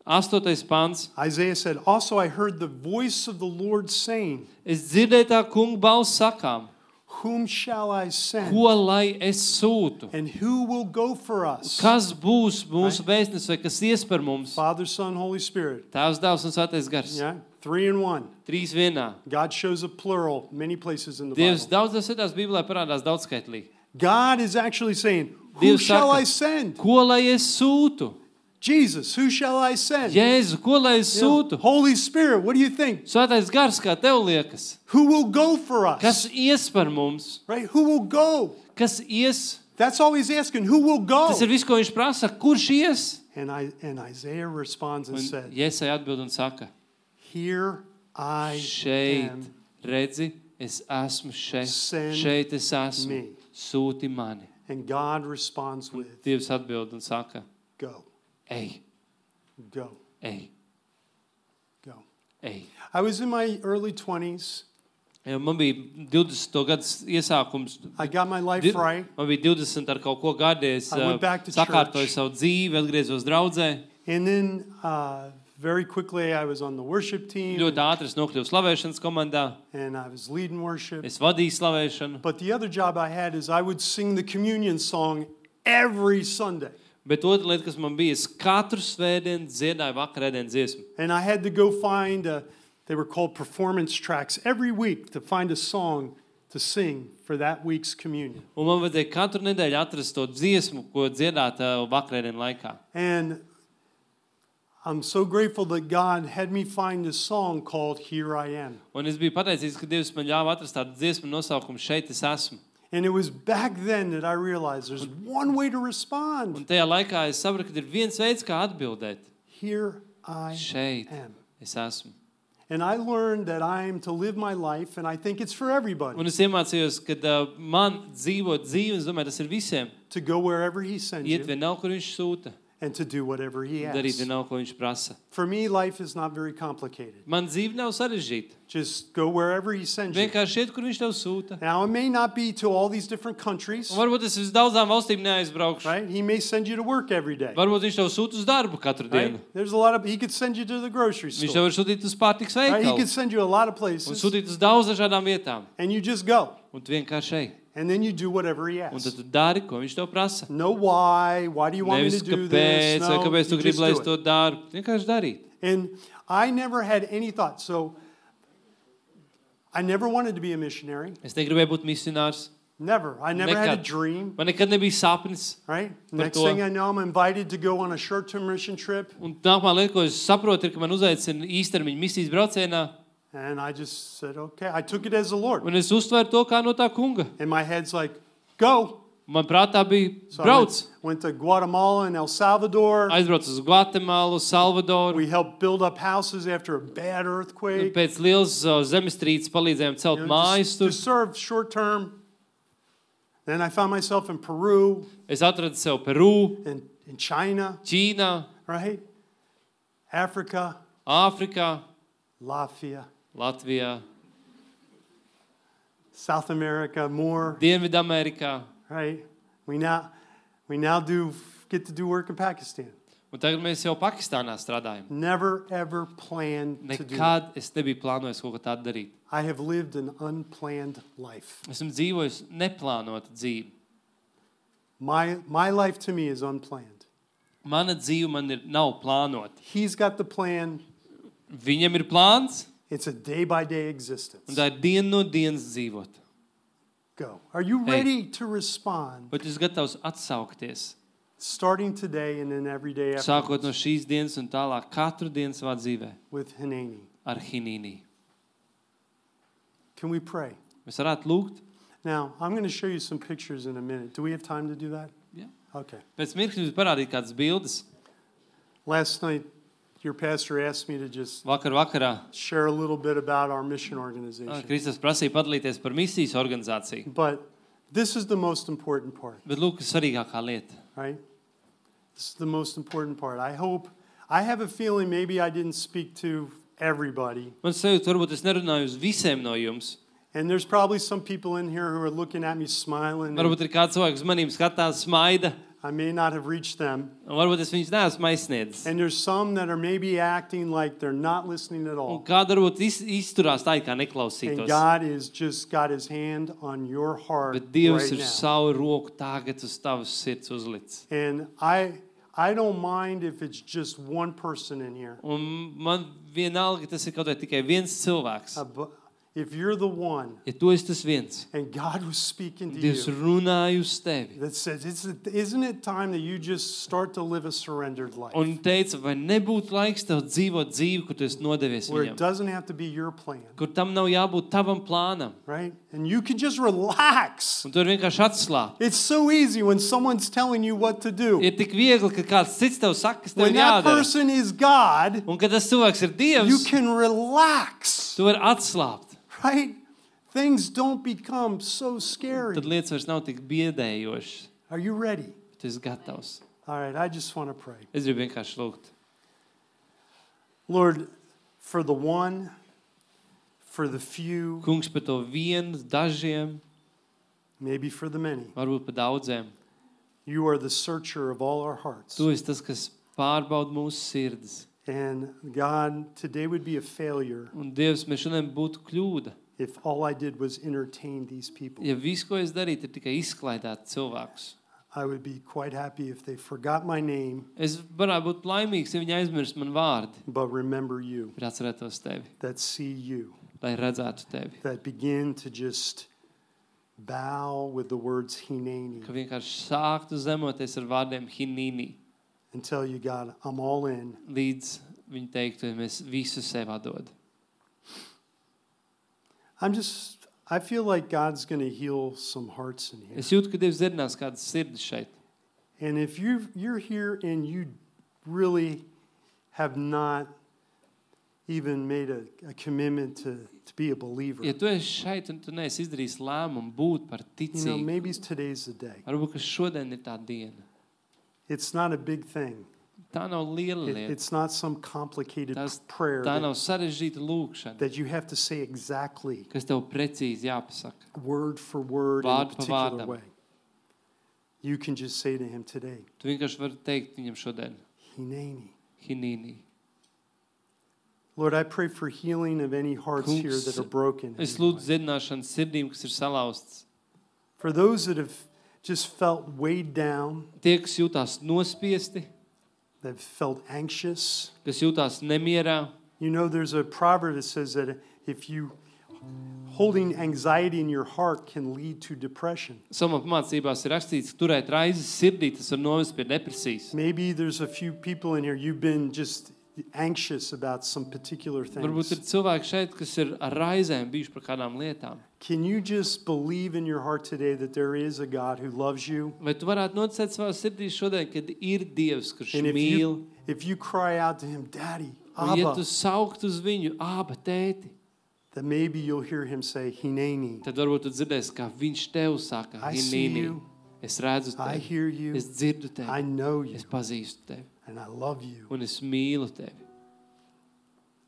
Astotais pants. Isaiah said, "Also I heard the voice of the Lord saying, Es dzirdēju tā kunga balss sakām. Whom shall I send? Ko lai es sūtu? And who will go for us? Kas būs mūsu vēstnes vai kas ies par mums? Father, Son, Holy Spirit. Tēvs, Dēls un Svētais Gars. Yeah, three in one. Trīs vienā. God shows a plural many places in the Dievs Bible. daudzās vietās Bībelē parādās daudzskaitlīgi. God is actually saying, who Dievs shall saka, I send? Ko lai es sūtu? Jesus, who shall I send? Jēzu, ko lai es You know, sūtu? Holy Spirit, what do you think? Svētais Gars, kā tev liekas? Who will go for us? Kas ies par mums? Right? Who will go? Kas ies? That's all he's asking. Who will go? Tas ir viss, ko viņš prasa. Kurš ies? And, I, and Isaiah responds and Un said, Jēzai atbild un saka, here I šeit, am. redzi, es esmu šeit, Send šeit es esmu, me. sūti mani. And God responds with, Dievs atbild un saka, go, ej, go, ej, go. ej. I was in my early twenties. Ja, man bija divdesmit gadu iesākums. I got my life Di- right. Man bija divdesmit ar kaut ko gadi. Es I went uh, back to sakārtoju church. savu dzīvi, atgriezos draudzē. And then uh, very quickly I was on the worship team. Ļoti ātri es nokļuvu slavēšanas komandā. And I was leading worship. Es vadīju slavēšanu. But the other job I had is I would sing the communion song every Sunday. Bet otra lieta, kas man bija, es katru svētdienu dziedāju vakarēdienu dziesmu. And I had to go find, a, they were called performance tracks, every week to find a song to sing for that week's communion. Un man vajadzēja katru nedēļu atrast to dziesmu, ko dziedāt uh, vakarēdienu laikā. And I'm so grateful that God had me find a song called Here I Am. Un es biju pateicīgs, ka Dievs man ļāva atrast tādu dziesmu nosaukumu Šeit es esmu. And it was back then that I realized there's one way to Un respond. tajā laikā es sapratu, ka ir viens veids, kā atbildēt. Here I Šeit am. es esmu. And I learned that I am to live my life, and I think it's for everybody, Un es iemācījos, ka uh, man dzīvot dzīvi, es domāju, tas ir visiem. to go wherever He sends Iet you vienalga, kur viņš sūta, and to do whatever He darīt asks. vienalga, ko viņš prasa. For me, life is not very complicated. Man dzīve nav sarežģīta. Just go wherever He sends you. Vienkārši iet, kur viņš tev sūta. Now, it may not be to all these different countries, Un varbūt es uz daudzām valstīm neaizbraukšu. right? He may send you to work every day. Varbūt viņš tev sūta uz darbu katru Right? dienu. There's a lot of, He could send you to the grocery Viņš tev store. var sūtīt uz pārtiks Right? He veikalu. could send you a lot of Un places, sūtīt uz daudz dažādām vietām. and you just go. Un tu vienkārši ej. And then you do whatever He Un tad asks. tu dari, ko viņš tev prasa. No why, why do you want me Nevis to do kāpēc, this? vai No, kāpēc tu you gribi, just lai do es to it. daru. Vienkārši darīt. And I never had any thought. So I never wanted to be a missionary. Es negribēju būt misionārs. Never. I never had a Nekad. dream, Man nekad nebija sapnis. right? Par Next to. thing I know, I'm invited to go on a short-term mission trip. Un nākamā lieta, ko es saprotu, ir, ka man uzaicina īstermiņa misijas braucienā. And I just said, okay. I took it as the Lord. Un es uztveru to kā no tā kunga. And my head's like, go. Man prātā bija So I brauc. went, went to Guatemala and El Salvador. Aizbrauc uz Gvatemalu, Salvadoru. We helped build up houses after a bad Un earthquake. pēc lielas uh, zemestrīces palīdzējām celt You know, mājas just, tur. to serve short term. Then I found myself in Peru Es atradu sev Peru, and in China, Ķīnā, right? Africa, Āfrikā, Latvia, Latvijā, South America, more, Dienvidamerikā. right? We now, we now do get to do work in Pakistan. Un tagad mēs jau Pakistānā strādājam. Never ever planned to do. Nekad es nebiju plānojis kaut ko tādu darīt. I have lived an unplanned life. Esmu dzīvojis neplānotu dzīvi. My my life to me is unplanned. Mana dzīve man ir, nav plānota. He's got the plan. Viņam ir plāns, It's a day by day existence. un tā ir diena no dienas dzīvot. Go. Are you Hey. ready to respond? Bet jūs gatavs atsaukties, Starting today and then every day sākot no after šīs dienas un tālāk katru dienu savā dzīvē with Hanani. ar Hinīnī. Can we pray? Mēs varētu lūgt. Now, I'm going to show you some pictures in a minute. Do we have time to do that? Ja. Okay. Pēc mirkļa jums parādīt kādas bildes. Last night, your pastor asked me to just Vakar vakarā share a little bit about our mission ah, organization. Kristus prasīja padalīties par misijas organizāciju. But this is the most important part, Bet lūk, svarīgākā lieta. right? This is the most important part. I hope, I have a feeling maybe I didn't speak to everybody. Man sajūta, varbūt es nerunāju uz visiem no jums. And there's probably some people in here who are looking at me smiling. and, Varbūt ir kāds cilvēks uz manīm skatās, smaida. I may not have reached them. Un varbūt es viņus neesmu aizsniedzis. And there's some that are maybe acting like they're not listening at Un all. kāda varbūt iz, izturās tā, kā And neklausītos. God is just got his hand on your heart Bet Dievs right ir now. savu roku tagad uz tavas sirds uzlicis. And I I don't mind if it's just one person in here. Un man vienalga, tas ir kaut vai tikai viens cilvēks. Uh, but if you're the one Ja tu esi tas viens, and God was speaking to Dievs you runāja uz tevi. that says, it's, isn't it time that you just start to live a surrendered life? Un teica, vai nebūtu laiks tev dzīvot dzīvi, kur tu esi nodevies Where it viņam. doesn't have to be your plan, Kur tam nav jābūt tavam plānam. right? And you can just relax. Un tu vari vienkārši atslābt. It's so easy when someone's telling you what to do. Ir tik viegli, ka kāds cits tev saka, kas tev When that jādara. person is God, Un kad tas cilvēks ir you Dievs, can relax, tu vari atslābt. right? Things don't become so scary. Tad lietas vairs nav tik biedējošas. Are you ready? Tu esi gatavs. All right, I just want to pray. Es gribu vienkārši lūgt. Lord, for the one, for the few, Kungs, par to vienu, dažiem, maybe for the many, varbūt par daudziem. you are the searcher of all our hearts. Tu esi tas, kas pārbauda mūsu sirdis. And God, today would be a failure Un Dievs, mēs šodien būtu kļūda. if all I did was entertain these people. Ja viss, ko es darītu, ir tikai izklaidēt cilvēkus. I would be quite happy if they forgot my name, Es varētu būt laimīgs, ja viņi aizmirst man vārdi, but remember you, bet atcerētos tevi, that see you, lai redzētu tevi. that begin to just bow with the words Hineni Ka vienkārši sāktu zemoties ar vārdiem hinīni, and tell you, God, I'm all in. līdz viņi teiktu, ja mēs visu sev atdod. I'm just, I feel like God's going to heal some hearts in here. Es jūtu, ka Dievs dzirdinās kādas sirdis šeit. And if you've, you're here and you really have not even made a, a commitment to, to be a believer, Ja tu esi šeit un tu neesi izdarījis lēmumu būt par you know, ticīgu, maybe today's the day. varbūt, ka šodien ir tā diena. It's not a big thing. Tā nav liela It, lieta. it's not some complicated Tas, prayer tā that, nav sarežģīta lūkšana, that you have to say exactly, kas tev precīzi jāpasaka. word for word in a Vārdu pa particular vārdam. way. You can just say to him today, Tu vienkārši vari teikt viņam šodien, Hineni. hinīni. Lord, I pray for healing of any hearts Kungs, here that are broken. Es lūdzu dziedināšanu sirdīm, kas ir salauztas. For those that have just felt weighed down, Tie, kas jūtās nospiesti, that have felt anxious. kas jūtās nemierā. You know, there's a proverb that says that if you holding anxiety in your heart can lead to depression. Samā pamācībās ir rakstīts, ka turēt raizes sirdī, tas var novest pie depresijas. Maybe there's a few people in here, you've been just anxious about some particular Varbūt ir things. cilvēki šeit, kas ir ar raizēm bijuši par kādām lietām. Can you just believe in your heart today that there is a God who loves you? Vai tu varētu noticēt savā sirdī šodien, kad ir Dievs, kurš And if mīl, you, if you cry out to him, Daddy, un ja tu Abba, saukt uz viņu, āba, tēti, then maybe you'll hear him say, Hineni. tad varbūt tu dzirdēsi, kā viņš tev saka, I see hinīni, you. es redzu I tevi, hear you. es dzirdu I tevi, know you. es pazīstu tevi, And I love you. un es mīlu tevi.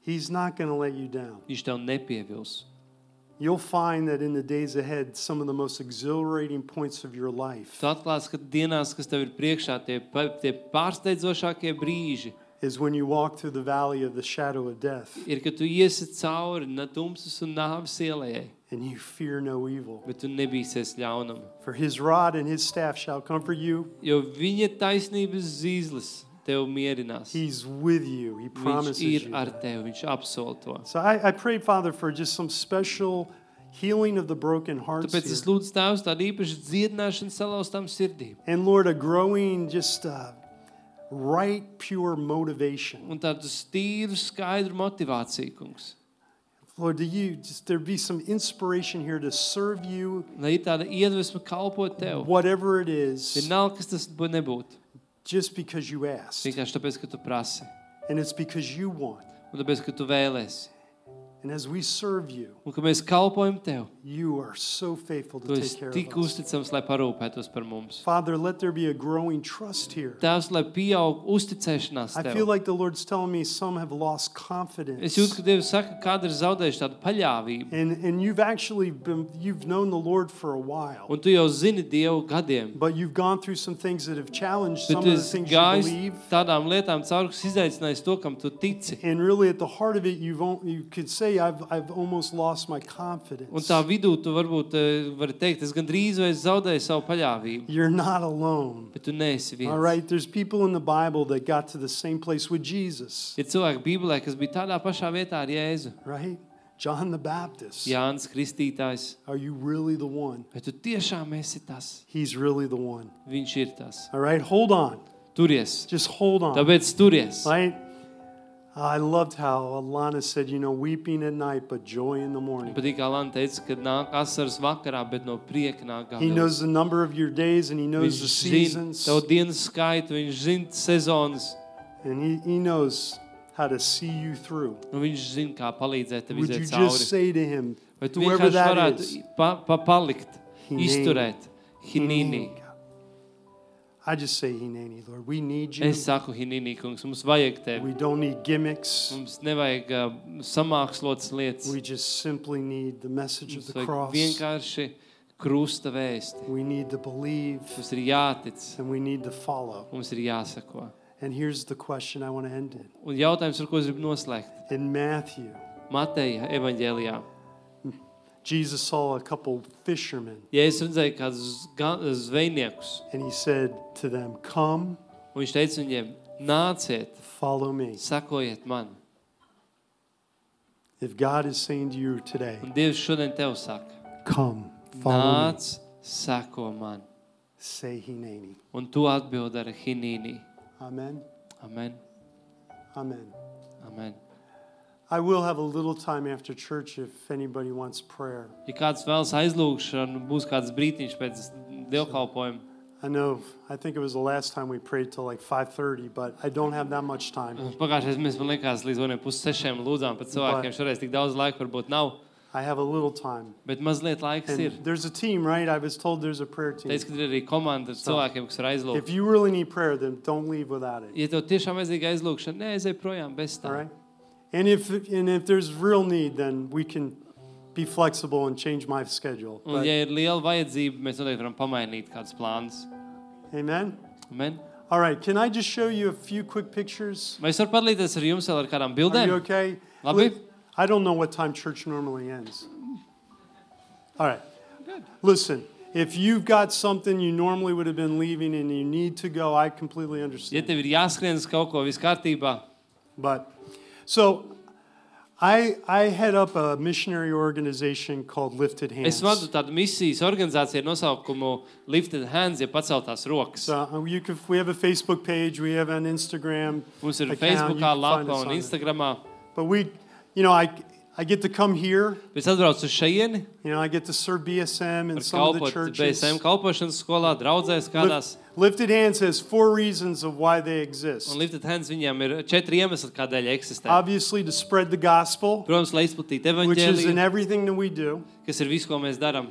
He's not going to let you down. Viņš tev nepievils. You'll find that in the days ahead, some of the most exhilarating points of your life Tu atklāsi, ka dienās, kas tev ir priekšā, tie, pa- tie pārsteidzošākie brīži, is when you walk through the valley of the shadow of death ir, kad tu iesi cauri na tumsas un nāves ielējai, and you fear no evil. bet tu nebīsies ļaunam. For his rod and his staff shall comfort you. Jo viņa taisnības zīzlis tev mierinās. He's with you. He Viņš promises ir you ar that. tevi, viņš apsol to. So I, I pray, Father, for just some special healing of the broken hearts Tāpēc es here. lūdzu Tēvs tādu īpašu dziedināšanu salauztām sirdīm. And Lord, a growing just uh, right, pure motivation. Un tādu stīru, skaidru motivāciju, kungs. Lord, do you just there be some inspiration here to serve you, Lai ir tāda iedvesma kalpot tev. whatever it is, Vienalga, kas tas būtu nebūtu. just because you asked. Vienkārši tāpēc, ka tu prasi. And it's because you want. Un tāpēc, ka tu vēlēsi. And as we serve you, Un ka mēs kalpojam Tev. you are so faithful Tu to esi take care tik of us. uzticams, lai parūpētos par mums. Father, let there be a growing trust here. Tēvs, lai pieaug uzticēšanās I Tev. feel like the Lord's telling me some have lost Es confidence. jūtu, ka Dievs saka, kāda ir zaudējuši tādu paļāvību. And, and you've actually been, you've known the Lord for a while. Un tu jau zini Dievu gadiem. But you've gone through some things that have challenged Bet some tu of the esi things you gājis believe. tādām lietām cauri, kas izaicinājis to, kam tu tici. And really at the heart of it, you've, on- you could say, I've, I've almost lost my Un confidence. tā vidū tu varbūt eh, vari teikt, es gandrīz vai es zaudēju savu paļāvību. You're not alone. Bet tu neesi viens. All right, there's people in the Bible that got to the same place with Jesus, Ir cilvēki Bībelē, kas bija tādā pašā vietā ar Jēzu. right? John the Baptist. Jānis Kristītājs. Are you really the one? Vai tu tiešām esi tas? He's really the one. Viņš ir tas. All right, hold on. Turies. Just hold on. Tāpēc turies. Right? I loved how Alana said, you know, weeping at night, but joy in the morning. Patīk, kā Lana teica, ka nāk asaras vakarā, bet no prieka nāk He gabals. knows the number of your days and he knows the Viņš zina seasons. tavu dienas skaitu, viņš zina sezonas, And he, he knows how to see you through. un viņš zina, kā palīdzēt tev Would you iziet just cauri. say to him, Vai tu whoever vienkārši that varētu is, pa, pa palikt, Hineni. izturēt? Hinīni. I just say Hineni, Lord. We need you. Es saku, Hinīni, kungs, mums vajag tevi. We don't need gimmicks. Mums nevajag uh, samākslotas lietas. We just simply need the message of Mums the vajag cross. vienkārši krusta vēsti. We need to believe Mums ir jātic, and we need to follow. mums ir jāsako. And here's the question I want to end in. Un jautājums, ar ko es gribu noslēgt. In Matthew, Mateja evaņģēlijā. Jesus saw a couple fishermen Ja es redzēju kādus ga- zvejniekus, and he said to them, come, un viņš teica viņiem, nāciet, follow me. sakojiet man. If God is saying to you today, Un Dievs šodien tev saka, come, follow me, nāc, sako man. say Hineni. Un tu atbild ar hinīni. Amen. Amen. Amen. Amen. I will have a little time after church if anybody wants prayer. Ja kāds vēlas aizlūgšanu, būs kāds brītiņš pēc dievkalpojuma. I know, I think it was the last time we prayed till like five thirty, but I don't have that much time. Pagājušais mēs, man liekas, līdz vieniem pus sešiem lūdzām pat cilvēkiem. Šoreiz tik daudz laika varbūt nav, I have a little time. bet mazliet laiks ir. And there's a team, right? I was told there's a prayer team. Teic, ka ir arī komanda ar cilvēkiem, kas var aizlūgt. If you really need prayer, then don't leave without it. Ja tev tiešām vajadzīga aizlūgšana, neaizej projām bez All tā. right? And if and if there's real need, then we can be flexible and change my schedule. Un But- ja ir liela vajadzība, mēs noteikti varam pamainīt kādus plānus. amen. Amen. All right, can I just show you a few quick pictures? Vai es varu padalīties ar jums vēl ar kādām Are you bildēm? okay? Labi. Li- I don't know what time church normally ends. All right. Listen, if you've got something you normally would have been leaving and you need to go, I completely Ja understand. tev ir jāskrien uz kaut ko, viss kārtībā. But so I I head up a missionary organization called Lifted Hands. Es vadu tādu misijas organizāciju ar nosaukumu Lifted Hands, ja paceltās rokas. So uh, you can, we have a Facebook page, we have an Instagram Mums ir account, Facebookā you can find lapa us un on it. Instagramā. But we, you know, I I get to come here, Es atbraucu uz šajieni, you know, I get to serve B S M in var some of the kalpot B churches. S M kalpošanas skolā, draudzēs kādās. Lift- Lifted Hands has four reasons of why they exist. Un Lifted Hands viņiem ir četri iemesli, kādēļ eksistē. Obviously, to spread the gospel, Protams, lai izplatītu which is in evaņģēliju, everything that we do. kas ir viss, ko mēs darām.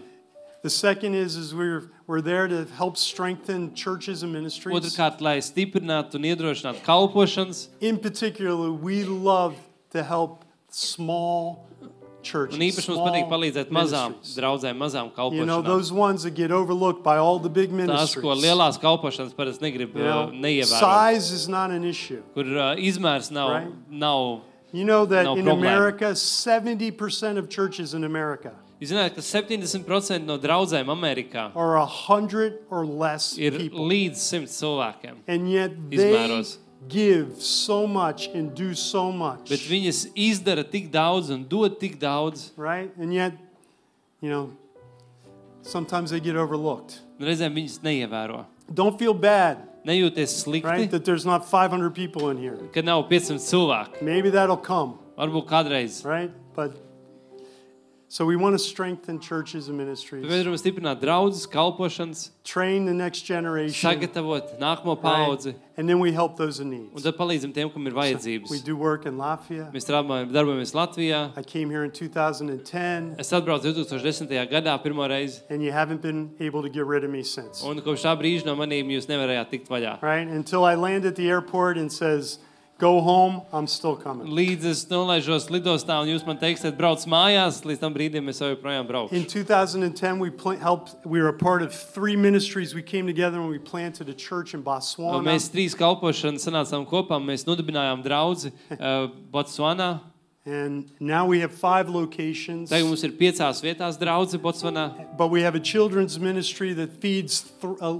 The second is, is we're, we're there to help strengthen churches and ministries. Otrkārt, lai stiprinātu un iedrošinātu kalpošanas. In particular, we love to help small churches, Un īpaši mums small patīk palīdzēt mazām ministries. draudzēm, mazām You know, kalpošanām. those ones that get overlooked by all the big Tās, ko ministries. lielās kalpošanas parasti negrib You uh, know, neievērot. size is not an issue. Kur uh, izmērs nav, Right. nav. You know that No in problem. America, seventy percent of churches in America Jūs zināt, ka septiņdesmit procenti no draudzēm Amerikā are a hundred or less ir people. līdz simts cilvēkiem. And yet they Izmēros. give so much and do so much. Bet viņas izdara tik daudz un dod tik daudz. Right? And yet, you know, sometimes they get overlooked. Un reizēm viņas neievēro. Don't feel bad, Nejūties slikti, right? That there's not five hundred people in here. ka nav piecsimt cilvēku. Maybe that'll come, Varbūt kādreiz. right? But So we want to strengthen churches and ministries, Mēs gribam stiprināt draudzes, kalpošanas, train the next generation, sagatavot nākamo right? paudzi, And then we help those in un need. tad palīdzam tiem, kam ir We vajadzības. do work in Latvia. Mēs strādājam, darbojamies Latvijā. I came here in two thousand ten, Es atbraucu two thousand ten. gadā pirmo reizi, and you haven't been able to get rid of me since. un kopš tā brīža no manīm jūs nevarējāt tikt vaļā. Right? Until I land at the airport and says, go home, I'm still coming. Līdz es nolaižos lidostā, un jūs man teiksiet, brauc mājās, līdz tam brīdim es jau joprojām braukšu. In two thousand ten, we pla- helped. We were a part of three ministries. We came together and we planted a church in Un Botswana. Mēs trīs kalpošanas sanācām kopā, mēs nodibinājām draudzi uh, Botswanā. And now we have five locations. Tagad mums ir piecās vietās draudzi Botswanā. But we have a children's ministry that feeds th- uh,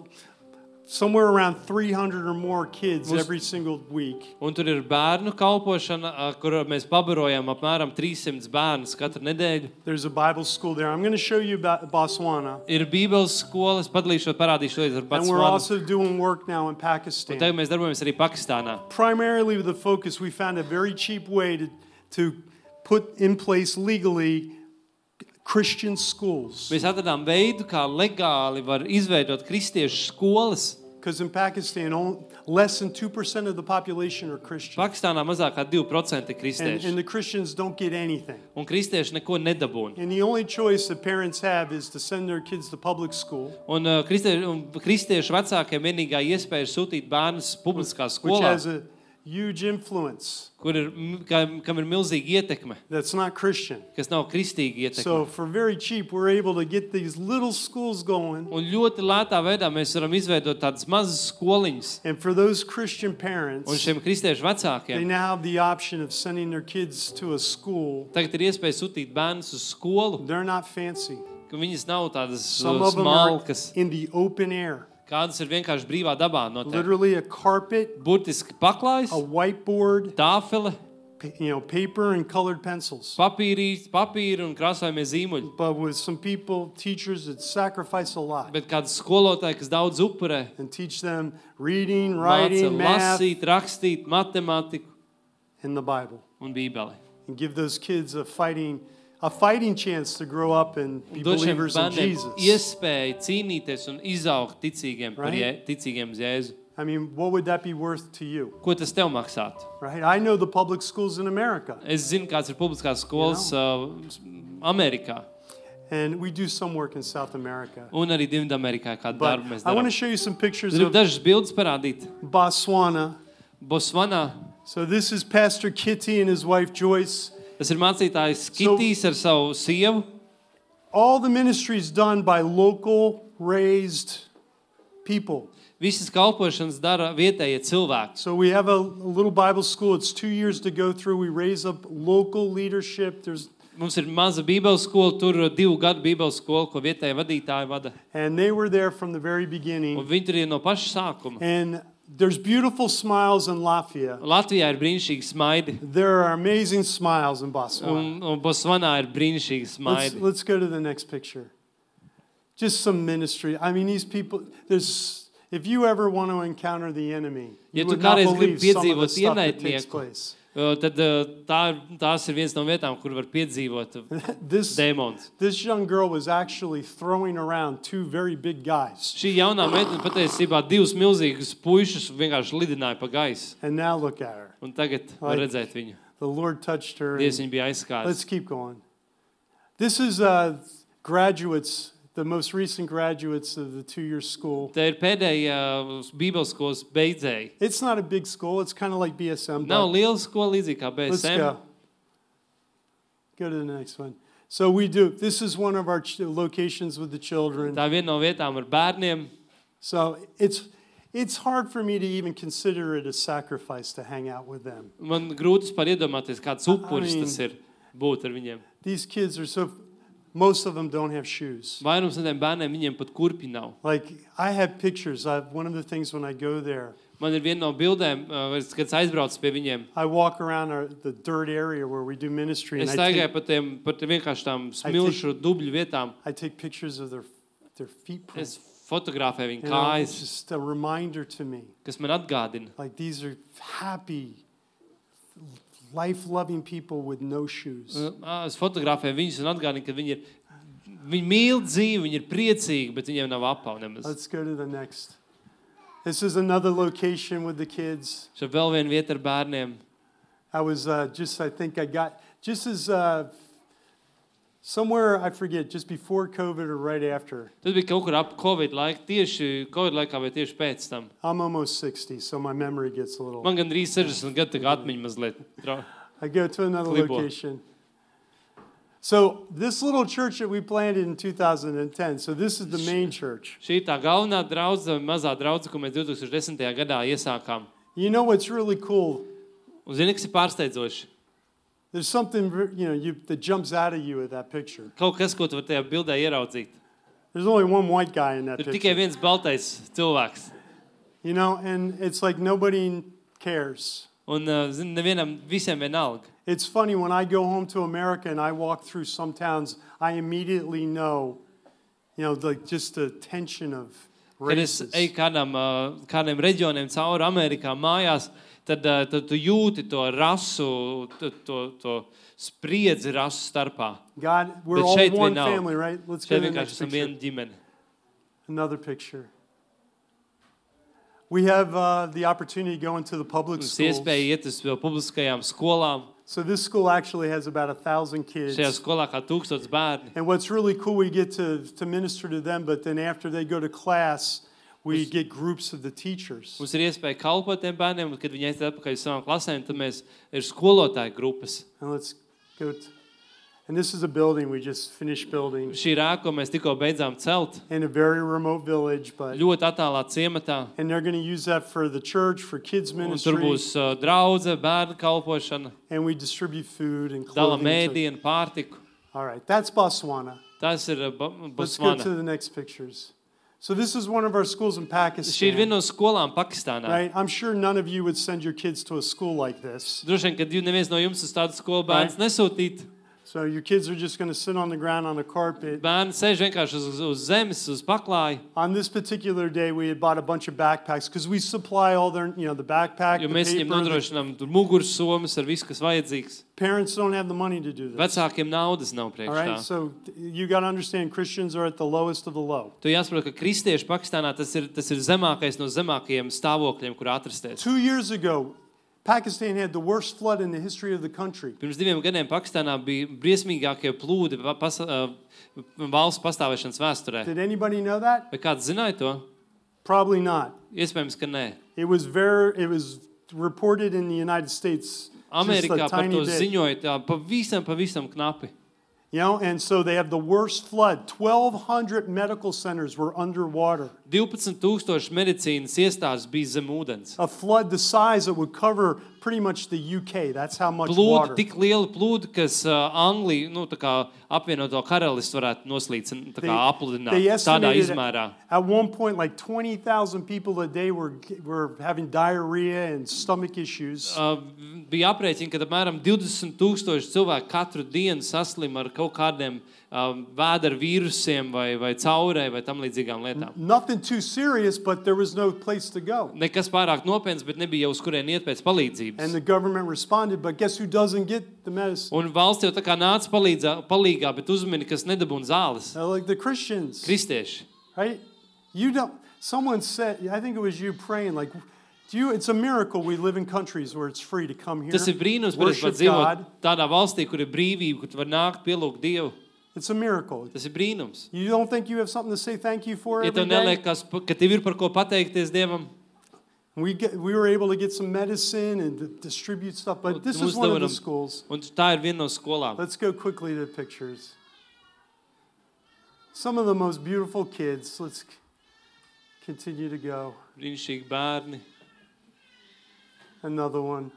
somewhere around three hundred or more kids Mums- every single week. Un tur ir bērnu kalpošana, uh, kur mēs pabarojam apmēram three hundred bērnus katru nedēļu. There's a Bible school there. I'm going to show you about Botswana. Ir bībeles skola, es padalīšu, parādīšu līdz ar And we're Botswanu. also doing work now in Un Pakistan. tagad mēs darbojamies arī Pakistānā. Primarily with the focus, we found a very cheap way to, to put in place legally Christian schools. Mēs atradām veidu, kā legāli var izveidot kristiešu skolas. Because in Pakistan, only, less than two percent of the population are Christian. Pakistānā mazāk kā two percent ir And, kristieši. and the Christians don't get anything. Un kristieši neko nedabūna. And the only choice that parents have is to send their kids to public school, Un, uh, kristieši, un kristiešu vecākiem vienīgā iespēja ir sūtīt bērnus publiskā which skolā, has a huge influence kur ir, m- kam, kam ir milzīga ietekme, that's not Christian. kas nav kristīga ietekme. So for very cheap, we're able to get these little schools going. Un ļoti lētā veidā mēs varam izveidot tādas mazas skoliņas. And for those Christian Un parents, šiem kristiešu they vecākiem now have the option of sending their kids to a school. tagad ir iespēja sūtīt bērnus uz skolu, They're not fancy. ka viņas nav tādas Some uh, of them are smalkas. in the open air. Kādas ir vienkārši brīvā dabā noteikti. Literally a carpet, Burtiski paklājs, a whiteboard, tāfele, pa- you know, paper and colored pencils. papīrī, papīri un krāsojamie zīmuļi. But with some people, teachers that sacrifice a lot Bet kāds skolotāji, kas daudz upurē, and teach them reading, māca writing, math, lasīt, rakstīt, matemātiku and the Bible. un bībeli. And give those kids a fighting, a fighting chance to grow up and be Dod šiem believers in bērniem Jesus. iespēju cīnīties un izaugt ticīgiem par Right? Jē, ticīgiem uz Jēzu. I mean, what would that be worth to you? Ko tas tev maksātu? Right? I know the public schools in America, Es zinu, kāds ir publiskās skolas uh, Amerikā and we do some work in South America. un arī Dienvidamerikā, kādu But darbu mēs I want darām. to show you some pictures Gribu of dažas bildes parādīt. Botswana. Botswanā So this is Pastor Kitty and his wife Joyce. tas ir mācītājs Kitijs ar savu sievu. All the ministries done by local raised people. Visas kalpošanas dara vietējie cilvēki. So we have a, a little Bible school. It's two years to go through. We raise up local leadership. There's Mums ir maza bībeles skola, tur divu gadu bībeles skola, ko vietējie vadītāji vada. and they were there from the very Un beginning. viņi tur ir no paša sākuma. And there's beautiful smiles in Latvia. Latvijā ir brīnišķīgi smaidi, There are amazing smiles in Botswana. un, un Botswanā ir brīnišķīgi Let's, smaidi. let's go to the next picture. Just some ministry. I mean, these people, there's, if you ever want to encounter the enemy, Ja you tu would not kādreiz believe gribi some of the piedzīvot stuff that takes ienaidnieku, place. Uh, Tad uh, tā, tās ir viens no vietām, kur var piedzīvot uh, This, dēmons. this young girl was actually throwing around two very big guys. Šī jaunā meitene patiesībā divus milzīgus puišus vienkārši lidināja pa gaisu. And now look at her. Un tagad var Like- redzēt viņu. The Lord touched her. Dievs and- viņu bija aizskārs. Let's keep going. This is uh, graduates, the most recent graduates of the two-year school. Te ir pēdējā uh, bībeles skolas beidzēji. It's not a big school. It's kind of like B S M. Nav But liela skola līdzīgi kā let's B S M. go. Go to the next one. So we do. This is one of our ch- locations with the children. Tā viena no vietām ar bērniem. So it's it's hard for me to even consider it a sacrifice to hang out with them. Man grūti par iedomāties, kāds upuris I mean- tas ir būt ar viņiem. These kids are so. Most of them don't have shoes. Vairums no tiem bērniem viņiem pat kurpi nav. Like I have pictures. I, one of the things when I go there, Man ir viena no bildēm, uh, kad es aizbraucu pie viņiem. I walk around our, the dirt area where we do ministry, and Es I staigāju take, pa tiem, pa tiem vienkārši tām smilšu dubļu vietām. I take pictures of their their feet Es prints. fotografēju viņu You know, it's kājas, just a reminder to me. kas man atgādina. Like these are happy, life-loving people with no shoes. Uh, Es fotografēju viņus un atgādinu, ka viņi ir, viņi mīl dzīvi, viņi ir priecīgi, bet viņiem nav apavu nemaz. Let's go to the next. This is another location with the kids. Šeit vēl viena vieta ar bērniem. I was uh, just, I think I got, just as uh, somewhere, I forget, just before COVID or right after. Tas bija kaut kur ap Covid laiku, tieši Covid laikā vai tieši pēc tam. I'm almost sixty, so my memory gets a little. Man gandrīz sešdesmit gadu, tā kā atmiņa mazliet. trau- I go to another Klibo. location. So this little church that we planted in two thousand ten, so this is the main church. Šī ir tā galvenā draudze, mazā draudze, ko mēs two thousand ten. gadā iesākām. You know what's really cool? Un zini, kas ir pārsteidzoši? There's something, you know, you, that jumps out at you at that picture. Kaut kas, ko tu vari tajā bildē ieraudzīt. There's only one white guy in that Tur tikai picture. viens baltais cilvēks. You know, and it's like nobody cares. Un, uh, zini, nevienam, visiem vienalga. It's funny, when I go home to America and I walk through some towns, I immediately know, you know, like just the tension of Kad es races. eju kādam, uh, kādiem reģioniem cauri Amerikā mājās, tad, uh, tad tu jūti to rasu, to, to, to spriedzi rasu starpā. God, we're Bet all šeit one viņi nav. family, right? Let's go Šeit to the vienkārši next esam picture. viena ģimene. Another picture. We have uh, the opportunity to go into the public Mums schools. iespēja iet uz vēl publiskajām skolām. So this school actually has about a thousand kids. Šajā skolā kā tūkstots bērni. And what's really cool, we get to, to minister to them, but then after they go to class, we get groups of the teachers. Mums ir iespēja kalpot tiem bērniem, un kad viņi aiziet atpakaļ uz savām klasēm, tad mēs ir skolotāju grupas. And let's go to, and this is a building we just finished building Šī ir ēka, ko mēs tikko beidzām celt, in a very remote village, but ļoti attālā ciematā. and they're going to use that for the church, for kids Un tur ministry, būs uh, draudze, bērnu kalpošana, and we distribute food and dala clothing. to- mēdienu, pārtiku. All right, that's Botswana. Tas ir uh, Bo- Let's go to Botswana. the next pictures. So this is one of our schools in Šī ir Pakistan. viena no skolām Pakistānā. Right? I'm sure none of you would send your kids to a school like this. Droši vien, kad jūs neviens no jums uz tādu skolu bērns nesūtīt, So your kids are just going to sit on the ground on a carpet. bērni sēž vienkārši uz, uz zemes, uz paklāja, On this particular day, we had bought a bunch of backpacks because we supply all their, you know, the backpack, jo the mēs viņiem paper. The nodrošinām tur muguras somas ar visu, kas vajadzīgs. parents don't have the money to do this. Vecākiem naudas nav All priekš right, tā. so you got to understand Christians are at the lowest of the low. Tu jāsaprot, ka kristieši Pakistānā tas ir, tas ir zemākais no zemākajiem stāvokļiem, kur atrasties. Two years ago, Pakistan had the worst flood in the history of the country. Pirms diviem gadiem Pakistānā bija briesmīgākie plūdi pa- pas, uh, valsts pastāvēšanas vēsturē. Did anybody know that? Vai kāds zināja to? Probably not. Iespējams, ka nē. It was very, it was reported in the United States just Amerikā a par tiny to bit. ziņoja tā pavisam, pavisam knapi. You know, and so they have the worst flood. twelve hundred medical centers were underwater. divpadsmit tūkstoši medicīnas iestādes bija zem ūdens. A flood the size that would cover pretty much the U K. That's how much Plūdi, water. tik liela plūdi, kas uh, Angliju, nu, tā kā apvienoto karalistu varētu noslīdināt, tā kā apludināt they tādā estimated izmērā. at one point like twenty thousand people a day were, were having diarrhea and stomach issues. Uh, bija aprēķini, ka apmēram divdesmit tūkstoši cilvēku katru dienu saslim ar kaut kādiem um, vēdera vīrusiem vai, vai caurē vai tam līdzīgām lietām. Nothing too serious, but there was no place to go. Nekas pārāk nopietns, bet nebija jau uz kurien iet pēc palīdzības. And the government responded, but guess who doesn't get the medicine? Un valsts jau tā kā nāca palīdzā, palīgā, bet uzmini, kas nedabūna zāles. They're like the Christians, Kristieši. right? You don't, someone said, I think it was you praying, like, do you, it's a miracle we live in countries where it's free to come here, Tas ir brīnums, bet es worship pat dzīvot God. tādā valstī, kur ir brīvība, kur tu var nākt pielūgt Dievu. It's a miracle. Tas ir brīnums. You don't think you have something to say thank you for Ja every tev day? neliekas, ka tev ir par ko pateikties Dievam, We, get, we were able to get some medicine and d- distribute stuff, but this is Mums one of the dāvinam- schools. un tā ir viena no skolām. Let's go quickly to the pictures. Some of the most beautiful kids. Let's c- continue to go. Brīnišķīgi bērni. Another one.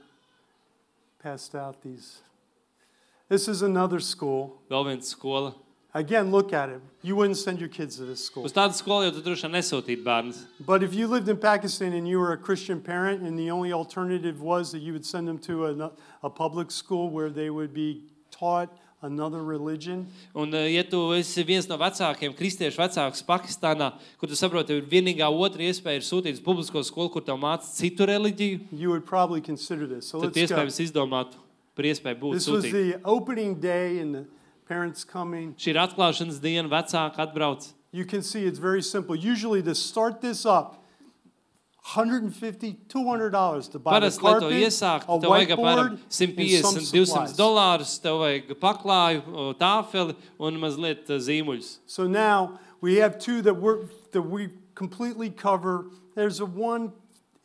Passed out these. This is another school. Vēl viens skola. Again, look at it. You wouldn't send your kids to this school. Uz tādu skolu jau tu droši vien nesūtītu bērnus. But if you lived in Pakistan and you were a Christian parent and the only alternative was that you would send them to a, a public school where they would be taught another religion, Un, eh, ja tu esi viens no vecākiem, kristiešu vecāks Pakistānā, kur tu saproti, tev ir vienīgā otra iespēja ir sūtīt uz publisko skolu, kur tev māca citu reliģiju, you would probably consider this. So tad let's go. iespējams izdomātu. par iespēju būt This was sūtīt. the opening day and the parents coming. Šī ir atklāšanas diena, vecāki atbrauc. You can see it's very simple. Usually to start this up, one hundred fifty dollars, two hundred dollars to buy the Parasti, lai to carpet, iesāktu, a tev vajag apmēram whiteboard, simt and piecdesmit, some divsimt supplies. dolārus, tev vajag paklāju, o, tāfeli un mazliet uh, zīmuļus. So now we have two that we're that we completely cover. There's a one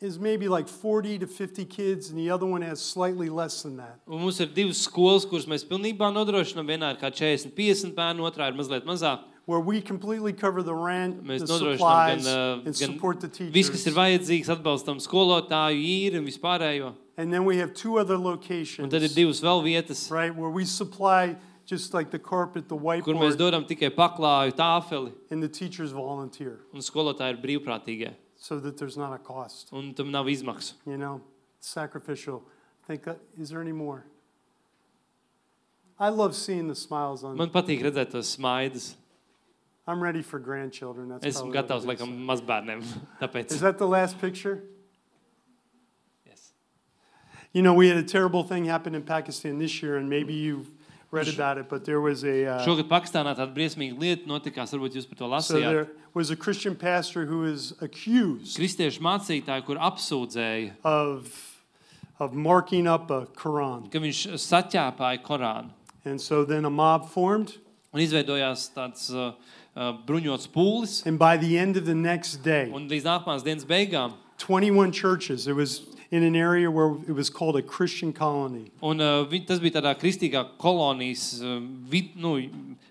is maybe like forty to fifty kids, and the other one has slightly less than that. Un mums ir divas skolas, kuras mēs pilnībā nodrošinām. Vienā ir kā četrdesmit, piecdesmit bērnu, otrā ir mazliet mazāk. Where we completely cover the rent, Mēs the nodrošinām supplies, gan, uh, and gan support the viss, kas ir teachers. vajadzīgs, atbalstam skolotāju, īri un vispārējo. And then we have two other Un locations, tad ir divas vēl vietas, right, where we supply just like the carpet, the kur mēs whiteboard, dodam tikai paklāju, tāfeli, and the teachers volunteer, un skolotāji ir brīvprātīgie. so that there's not a cost. Un tam nav izmaksu. You know, sacrificial. Think, uh, is there any more? I love seeing the smiles on. Man patīk redzēt tos smaidus. I'm ready for grandchildren. That's Esmu probably what gatavs it is. laikam mazbērniem. Tāpēc. Is that the last picture? Yes. You know, we had a terrible thing happen in Pakistan this year, and maybe you've read about it, but there was a. Uh, Šogad Pakistānā tāda briesmīga lieta notikās, varbūt jūs par to so lasījāt. there was a Christian pastor who was accused Kristiešu mācītāji, kur apsūdzēja, of of marking up a Quran, ka viņš saķēpāja Korānu. and so then a mob formed, Un izveidojās tāds uh, uh, bruņots pūlis. and by the end of the next day, Un līdz nākamās dienas beigām. twenty-one churches. It was in an area where it was called a Christian colony. Un uh, vi- tas bija tādā kristīgā kolonijas uh, vid, nu,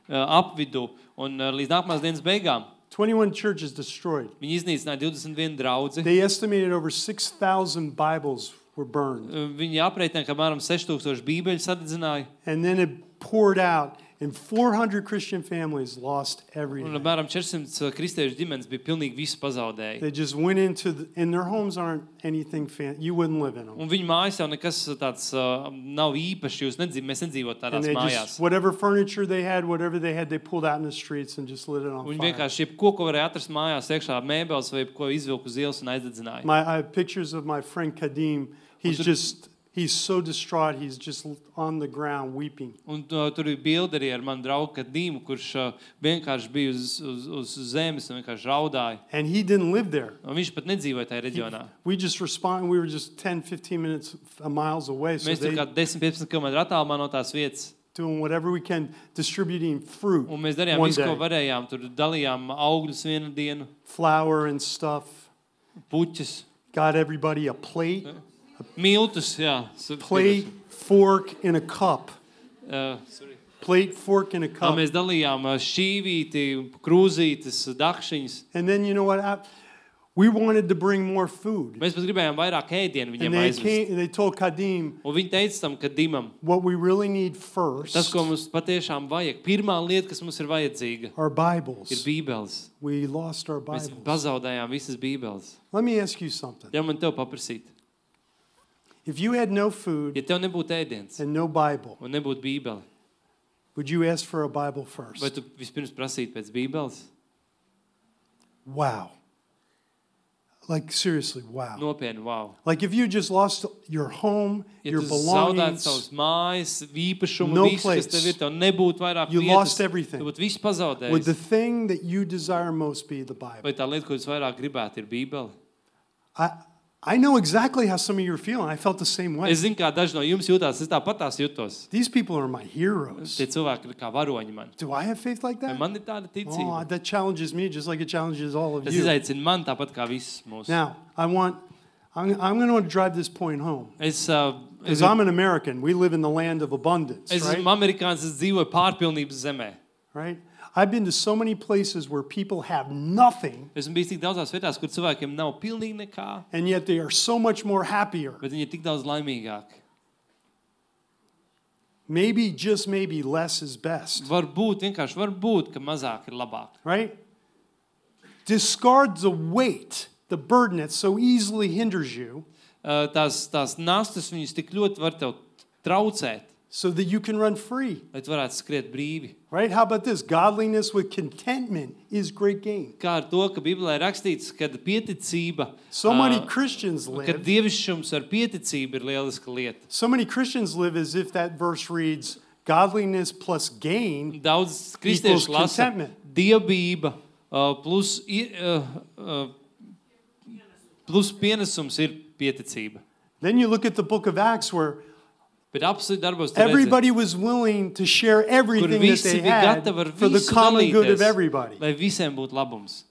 uh, apvidu. Un uh, līdz nākamās dienas beigām twenty-one churches destroyed. viņi iznīcināja divdesmit vienu draudzi. They estimated over six thousand Bibles were burned. Uh, Viņi aprēķināja, ka apmēram seši tūkstoši bībeļu sadedzināja. And then it poured out, and four hundred Christian families lost Un everything. apmēram četrdesmit kristiešu ģimenes bija pilnīgi visu pazaudēji. They just went into, the, and their homes aren't anything fan. You wouldn't live in them. Un viņu mājas jau nekas tāds uh, nav īpašs. Jūs nedzīv, mēs nedzīvot And tādās they mājās. just, whatever furniture they had, whatever they had, they pulled out in the streets and just lit it on Un viņi fire. vienkārši jebko, ko varēja atrast mājās, iekšā mēbeles vai ko izvilku uz ielas un aizdedzināja. My, I have pictures of my friend Kadim. He's just, he's so distraught. He's just on the ground weeping. Un uh, tur ir bilde arī ar manu draugu Kadīmu, kurš uh, vienkārši bija uz, uz, uz zemes un vienkārši raudāja. And he didn't live there. Un viņš pat nedzīvoja tajā He- reģionā. we just respond. We were just ten, fifteen minutes uh, miles away. So Mēs tur they kā desmit piecpadsmit kilometru attālumā no tās vietas. doing whatever we can, distributing fruit, Un mēs darījām One visu, ko day. varējām. Tur dalījām augļus vienu dienu, flour and stuff. puķus, Got everybody a plate, miltus. Jā, su- plate, fork, and a cup. Uh, sorry. Plate, fork, and a Tā cup. mēs dalījām uh, šķīvīti, krūzītes, dakšiņas. And then you know what? I- We wanted to bring more food. Mēs pat gribējām vairāk ēdienu And viņiem they aizvest. came. They told Kadim Un viņi teica tam, ka Dimam, what we really need first tas, ko mums patiešām vajag, pirmā lieta, kas mums ir vajadzīga, are ir Bibles. bībeles. We lost our Mēs Bibles. pazaudējām visas bībeles. Let me ask you something. Ja man tev paprasīt, If you had no food ja tev nebūtu ēdiens and no Bible, un nebūtu bībele, would you ask for a Bible vai first? tu vispirms prasītu pēc bībeles? Wow. Like seriously, wow. Nopietni, wow. Like if you just lost your home, Ja your tu zaudētu belongings, savus mājas, īpašumu, No visu, place. kas tev ir, tev nebūtu vairāk You vietas, lost everything. tu būtu visu would pazaudējis. the thing that you desire most be the Bible? Vai tā lieta, ko jūs vairāk gribētu, ir bībele? I, I know exactly how some of you are feeling. I felt the same way. Es zinu, kā daži no jums jutās, es tāpatās jutos. These people are my heroes. Tie cilvēki ir kā varoņi man. Do I have faith like Vai that? man ir tāda Oh, ticība? that challenges me just like it challenges all of Tas you. izaicina man tāpat kā visus mūsu. Now, I want, I'm, I'm going to want to drive this point home. Es, uh, es, Because I'm an American. We live in the land of abundance, es right? esmu amerikānis, es dzīvoju pārpilnības zemē. Right? I've been to so many places where people have nothing, Esmu bijis tik daudzās vietās, kur cilvēkiem nav pilnīgi nekā, and yet they are so much more happier. bet viņi ir tik daudz laimīgāki. Maybe, just maybe, less is best, Varbūt, vienkārši varbūt, ka mazāk ir labāk. right? Discard the weight, the burden that so easily hinders you, Uh, tās, tās nastas viņus tik ļoti var tev traucēt. so that you can run free. lai tu varētu skriet brīvi. Right? How about this? Godliness with contentment is great gain. Kā ar to, ka Bībelē ir rakstīts, ka pieticība, So many ā, Christians ka live. dievišķums ar pieticību ir lieliska lieta. So many Christians live as if that verse reads, godliness plus gain. Daudz Equals kristiešu lasa contentment. dievbība ā, plus, i- ā, ā, plus pienesums ir pieticība. Then you look at the book of Acts where Bet apsolūti darbos tu redzi, everybody was willing to share kur everything that visi they bija had gatavi ar for the visu common good of dalīties, everybody. lai visiem būtu labums.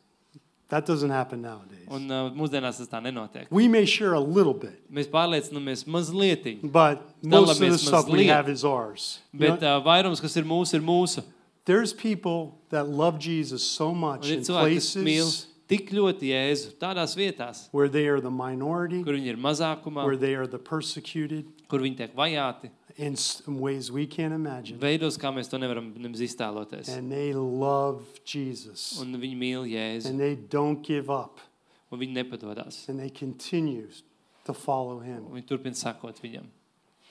That doesn't happen nowadays. Un uh, mūsdienās tas tā nenotiek. We may share a little bit, Mēs pārliecinamies mazlietiņ, but most of the Dalāmies stuff we mazliet. have is ours. You bet know, uh, vairums, kas ir mūsu, ir mūsu. there's people that love Jesus so Un much ir in cilvēki, kas mīl places tik ļoti Jēzu tādās vietās, where they are the minority, kur viņi ir mazākumā, where they are the persecuted, kur viņi tiek vajāti, in s- in ways we can't imagine. veidos, kā mēs to nevaram nemaz iztēloties. And they love Jesus. Un viņi mīl Jēzu, And they don't give up. un viņi nepadodās. And they continue to follow him. Un viņi turpina sakot viņam.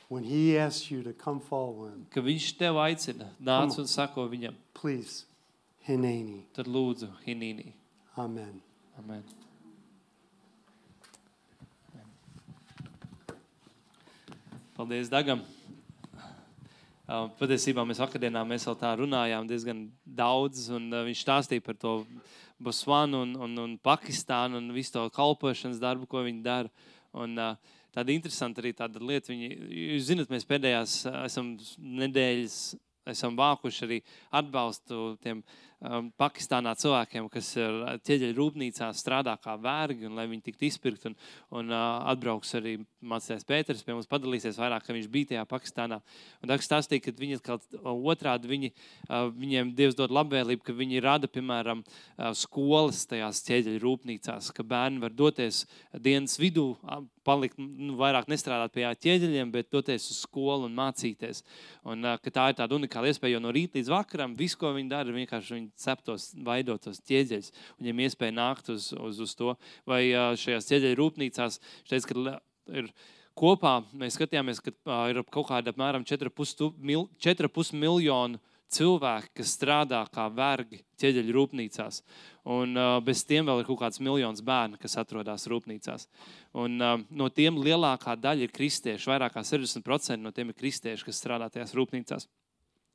When he asks you to come follow him, Ka viņš tev aicina, nāc un sako viņam, please, Hineni. tad lūdzu, Hinīnī. Amen. Amen. Paldies Dagam. Uh, Patiesībā mēs vakardieną mēs vēl tā runājām diezgan daudz, un uh, viņš stāstīja par to Botsvanu un, un, un Pakistānu un visu to kalpošanas darbu, ko viņi dara. Un, uh, tāda interesanta arī tāda lieta. Viņi, jūs zināt, mēs pēdējās uh, esam nedēļas, esam vākuši arī atbalstu tiem um, Pakistānā cilvēkiem, kas ir ķieģeļu rūpnīcā strādā kā vergi, un lai viņi tiktu izpirkt. Un, un uh, atbrauks arī mācītājs Pēters pie mums padalīsies vairāk, ka viņš bija tajā Pakistānā. Un Dags stāstīja, ka viņi atkal otrādi, viņi, uh, viņiem Dievs dod labvēlību, ka viņi rada, piemēram, uh, skolas tajās ķieģeļu rūpnīcās, ka bērni var doties dienas vidū, uh, palikt, nu, vairāk nestrādāt pie ķieģeļiem, bet doties uz skolu un mācīties. Un uh, ka tā ir tāda unikāla iespēja, jo no rīta līdz vakaram visu, ko viņi dara, vienkārši viņi ceptos, vaidotos ķieģeļus. Viņiem iespēja nākt uz, uz, uz to. Vai uh, šajās ķieģeļu rūpnīcās, teica, ka ir kopā, mēs skatījāmies, ka uh, ir kaut kāda apmēram četri ar pus miljonu cilvēki, kas strādā kā vergi ķieģeļu rūpnīcās. Un uh, bez tiem vēl ir kaut kāds miljons bērnu, kas atrodas rūpnīcās. Un uh, no tiem lielākā daļa ir kristieši, vairāk kā sešdesmit procenti no tiem ir kristieši, kas strādā tajās rūpnīcās.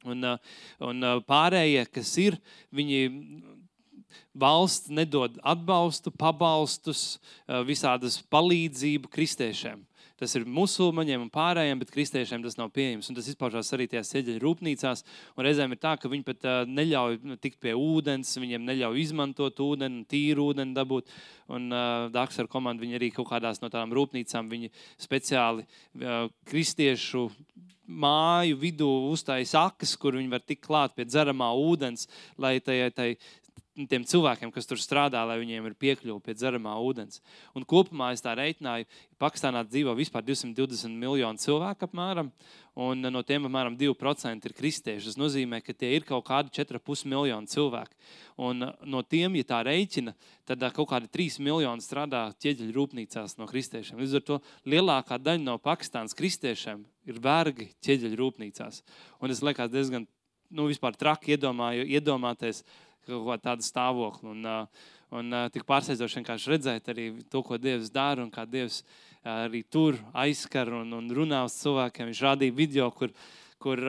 Un, uh, un uh, pārējie, kas ir, viņi valsts nedod atbalstu, pabalstus, uh, visādas palīdzību kristiešiem. Tas ir musulmaņiem un pārējiem, bet kristiešiem tas nav pieejams. Un tas izpaužās arī tajās ķieģeļu rūpnīcās. Un reizēm ir tā, ka viņi pat uh, neļauj nu, tikt pie ūdens, viņiem neļauj izmantot ūdeni, tīru ūdeni dabūt. Un uh, Daks ar komandu viņi arī kaut kādās no tādām rūpnīcām, viņi speciāli uh, kristiešu māju vidū uztājas akas, kur viņi var tikt klāt pie dzeramā ūdens, lai tai, tai tiem cilvēkiem, kas tur strādā, lai viņiem ir piekļuva pie dzeramā ūdens. Un kopumā es tā reiķināju, Pakistānā dzīvo vispār divsimt divdesmit miljonu cilvēku apmēram, un no tiem apmēram divi procenti ir kristieši. Tas nozīmē, ka tie ir kaut kādi četri ar pus miljonu cilvēku. Un no tiem, ja tā reiķina, tad kaut kādi trīs miljoni strādā ķieģeļu rūpnīcās no kristiešiem. Līdz ar to lielākā daļa no Pakistānas kristiešiem ir vergi ķieģeļu rūpnīcās. Un es liekas diezgan, nu, vispār traki iedomāju, iedomāties, kaut kā tādu stāvokli. Un, un tik pārsteidzoši vienkārši redzēt arī to, ko Dievs dara un kā Dievs arī tur aizskar un, un runā uz cilvēkiem. Viņš rādīja video, kur, kur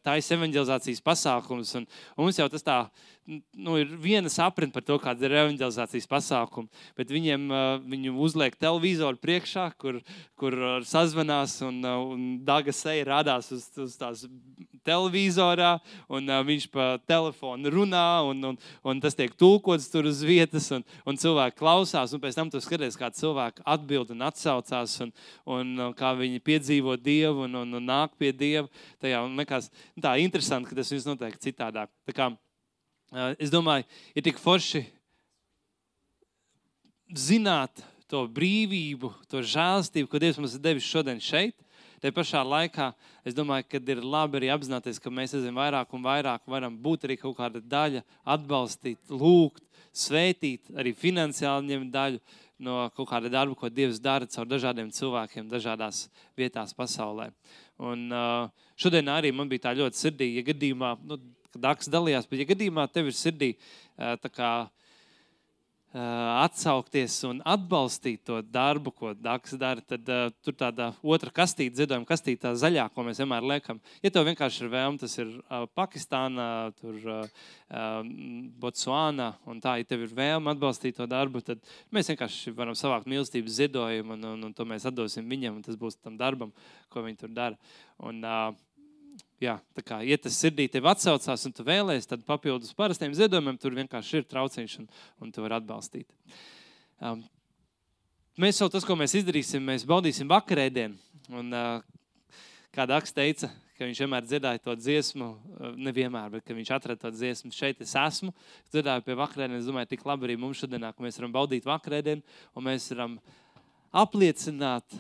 taisa evanģelizācijas pasākums. Un, un mums jau tas tā, nu, ir viena sapratne par to, kāda ir evanģelizācijas pasākuma, bet viņiem, viņu uzliek televizoru priekšā, kur, kur sazvanās un, un Daga seja rādās uz, uz tās televizorā, un uh, viņš pa telefonu runā, un, un, un tas tiek tulkots tur uz vietas, un, un cilvēki klausās, un pēc tam tu skaties, kā cilvēki atbild un atsaucās, un, un, un kā viņi piedzīvo Dievu un, un, un nāk pie Dieva. Tajā, un nekās, tā interesanti, ka tas viss notiek citādāk. Tā kā, uh, es domāju, ir tik forši zināt to brīvību, to žēlastību, ko Dievs mums ir devis šodien šeit. Te pašā laikā, es domāju, ka ir labi arī apzināties, ka mēs aizvien vairāk un vairāk varam būt arī kaut kāda daļa, atbalstīt, lūgt, svētīt, arī finansiāli ņemt daļu no kaut kāda darba, ko Dievs dara caur dažādiem cilvēkiem, dažādās vietās pasaulē. Un uh, šodien arī man bija tā ļoti sirdī, ja gadījumā, nu, kad Daks dalījās, bet ja gadījumā tev ir sirdī uh, tā kā atsaukties un atbalstīt to darbu, ko Daks dara, tad uh, tur tāda otra kastīte, ziedojuma kastīte, tā zaļā, ko mēs vienmēr liekam. Ja tev vienkārši ir vēlme, tas ir uh, Pakistānā, tur uh, Botsvānā, un tā, ja tev ir vēlme atbalstīt to darbu, tad mēs vienkārši varam savākt mīlestības ziedojumu, un, un, un to mēs atdosim viņam, un tas būs tam darbam, ko viņi tur dara. Un, uh, Jā, tā kā, ja tas sirdī tev atsaucās un tu vēlēsi, tad papildus parastiem ziedojumiem tur vienkārši ir trauciņš un, un tu vari atbalstīt. Um, mēs jau tas, ko mēs izdarīsim, mēs baudīsim vakarēdienu. Un uh, kā Daks teica, ka viņš vienmēr dziedāja to dziesmu, uh, nevienmēr, bet ka viņš atrada to dziesmu, šeit es esmu, dziedāju pie vakarēdienas. Es domāju, tik labi arī mums šodienā, ka mēs varam baudīt vakarēdienu un mēs varam apliecināt,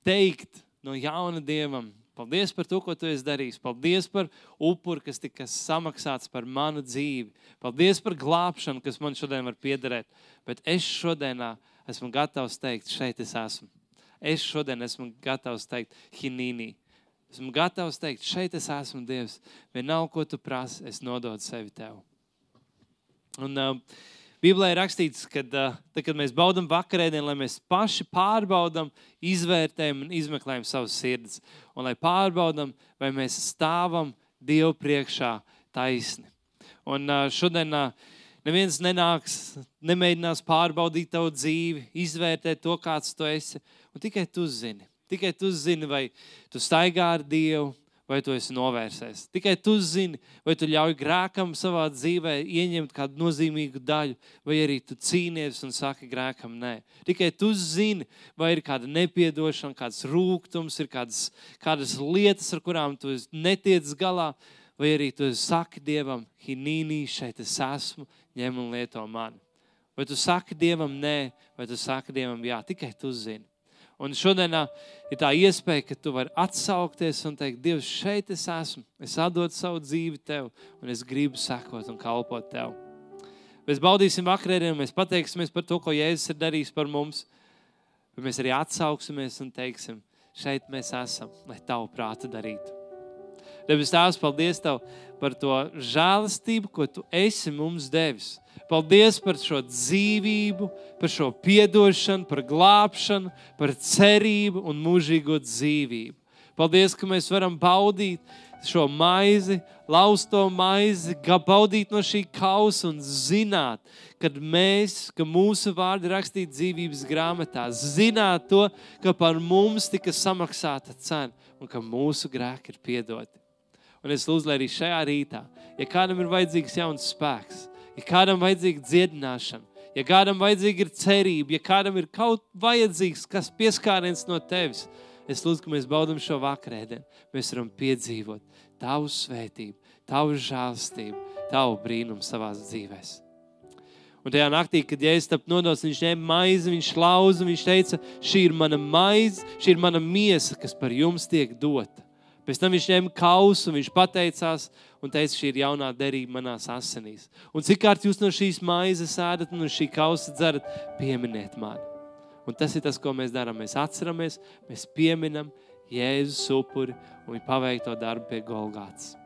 teikt no jauna Dievam, paldies par to, ko tu esi darījis. Paldies par upuri, kas tika samaksāts par manu dzīvi. Paldies par glābšanu, kas man šodien var piederēt. Bet es šodienā esmu gatavs teikt, šeit es esmu. Es šodien esmu gatavs teikt, hinīnī. Esmu gatavs teikt, šeit es esmu, Dievs. Vienalga, ko tu prasi, es nododu sevi tev. Un uh, Bībelē ir rakstīts, ka, tad, kad mēs baudam vakarēdienu, lai mēs paši pārbaudam, izvērtējam un izmeklējam savas sirdis. Un lai pārbaudam, vai mēs stāvam Dievu priekšā taisni. Un šodien neviens nenāks, nemēģinās pārbaudīt tavu dzīvi, izvērtēt to, kāds tu esi. Un tikai tu zini. Tikai tu zini, vai tu staigā ar Dievu, vai tu esi novērsies. Tikai tu zini, vai tu ļauj grēkam savā dzīvē ieņemt kādu nozīmīgu daļu, vai arī tu cīnies un saki grēkam nē. Tikai tu zini, vai ir kāda nepiedošana, kāds rūgtums, ir kādas, kādas lietas, ar kurām tu netiec galā, vai arī tu saki Dievam, hinīnī, šeit es esmu, ņem un lieto mani. Vai tu saki Dievam nē, vai tu saki Dievam jā, tikai tu zini. Un šodienā ir tā iespēja, ka tu vari atsaukties un teikt, Dievs, šeit es esmu, es atdodu savu dzīvi tev, un es gribu sekot un kalpot tev. Mēs baudīsim vakarēdienu, mēs pateiksimies par to, ko Jēzus ir darījis par mums, bet mēs arī atsauksimies un teiksim, šeit mēs esam, lai tavu prātu darītu. Debes Tēvs, paldies Tev par to žēlastību, ko Tu esi mums devis. Paldies par šo dzīvību, par šo piedošanu, par glābšanu, par cerību un mūžīgo dzīvību. Paldies, ka mēs varam baudīt šo maizi, lausto maizi, baudīt no šī kausa un zināt, kad mēs, ka mūsu vārdi rakstīti dzīvības grāmatā, zināt to, ka par mums tika samaksāta cena un ka mūsu grēki ir piedoti. Un es lūdzu, lai arī šajā rītā, ja kādam ir vajadzīgs jauns spēks, ja kādam vajadzīga dziedināšana, ja kādam vajadzīga ir cerība, ja kādam ir kaut vajadzīgs, kas pieskāriens no tevis, es lūdzu, ka mēs baudam šo vakarēdienu. Mēs varam piedzīvot Tavu svētību, Tavu žēlastību, Tavu brīnumu savās dzīvēs. Un tajā naktī, kad Jēzus tap nodots, viņš ņēma maizi, viņš lauza, viņš teica, šī ir mana maize, šī ir mana miesa, kas par jums tiek dota. Pēc tam viņš ņēma kausu, viņš pateicās un teica, šī ir jaunā derība manās asinīs. Un cik kārt jūs no šīs maizes ēdat un no šī kausa dzerat, pieminiet mani. Un tas ir tas, ko mēs darām. Mēs atceramies, mēs pieminam Jēzus upuri un viņa paveikto darbu pie Golgātas.